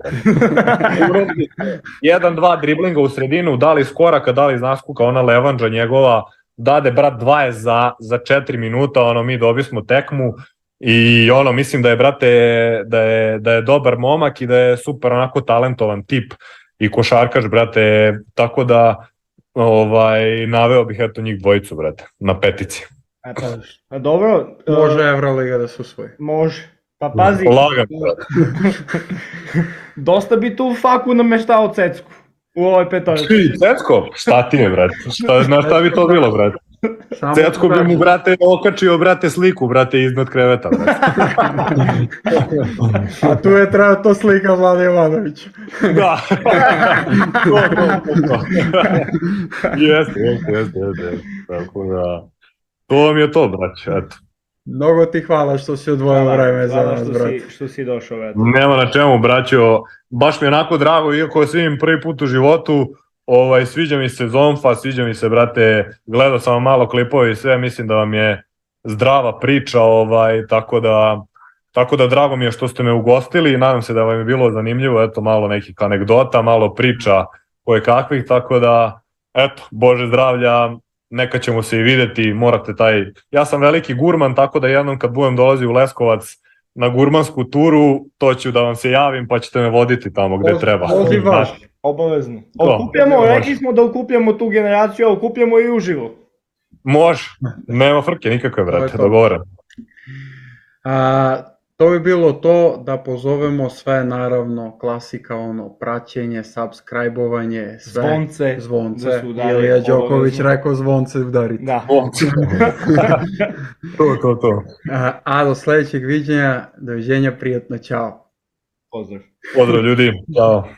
Jedan, dva driblinga u sredinu, da li iz koraka, da li iz naskuka, ona levanđa njegova, dade brat dvadeset za, za četiri minuta, ono, mi dobismo tekmu. I ono, mislim da je, brate, da je, da je dobar momak i da je super onako talentovan tip i košarkaš, brate, tako da ovaj, naveo bih eto njih dvojicu, brate, na petici. A, pa, a dobro. Može Evroliga da se usvoji. Može. Pa pazi. Lagam, brate. Dosta bi tu faku nameštao Cecku u ovoj petorici. Ti, Cecko? Šta ti je, brate? Šta, na šta bi to bilo, brate? Cecko bi mu, brate, okačio, brate, sliku, brate, iznad kreveta, brate. A tu je trebao to slika Vlade Jovanovića. Da. to, to, to, to. Jeste, jeste, jeste, jeste. Tako da, to vam je to, brać, eto. Mnogo ti hvala što si odvojio vreme za nas, što brate. si, što si došao, eto. Nema na čemu, braćo, baš mi je onako drago, iako svim prvi put u životu, ovaj, sviđa mi se Zonfa, sviđa mi se, brate, gledao sam malo klipove i sve, mislim da vam je zdrava priča, ovaj, tako da, tako da drago mi je što ste me ugostili i nadam se da vam je bilo zanimljivo, eto, malo nekih anegdota, malo priča koje kakvih, tako da, eto, Bože zdravlja, neka ćemo se i videti, morate taj, ja sam veliki gurman, tako da jednom kad budem dolazi u Leskovac na gurmansku turu, to ću da vam se javim pa ćete me voditi tamo gde treba. Pozivaš. Obavezno. Okupljamo, rekli smo da okupljamo tu generaciju, a okupljamo i uživo. Može, nema frke nikakve, brate, dogovoren. A, to bi bilo to, da pozovemo sve, naravno, klasika, ono, praćenje, subscribe-ovanje, sve. Zvonce. Zvonce. Da su udari, Ilija Đoković obavezno. rekao zvonce udariti. Da. to, to, to. A, a do sledećeg viđenja, doviđenja, prijatno, ćao. Pozdrav. Pozdrav ljudi, ćao.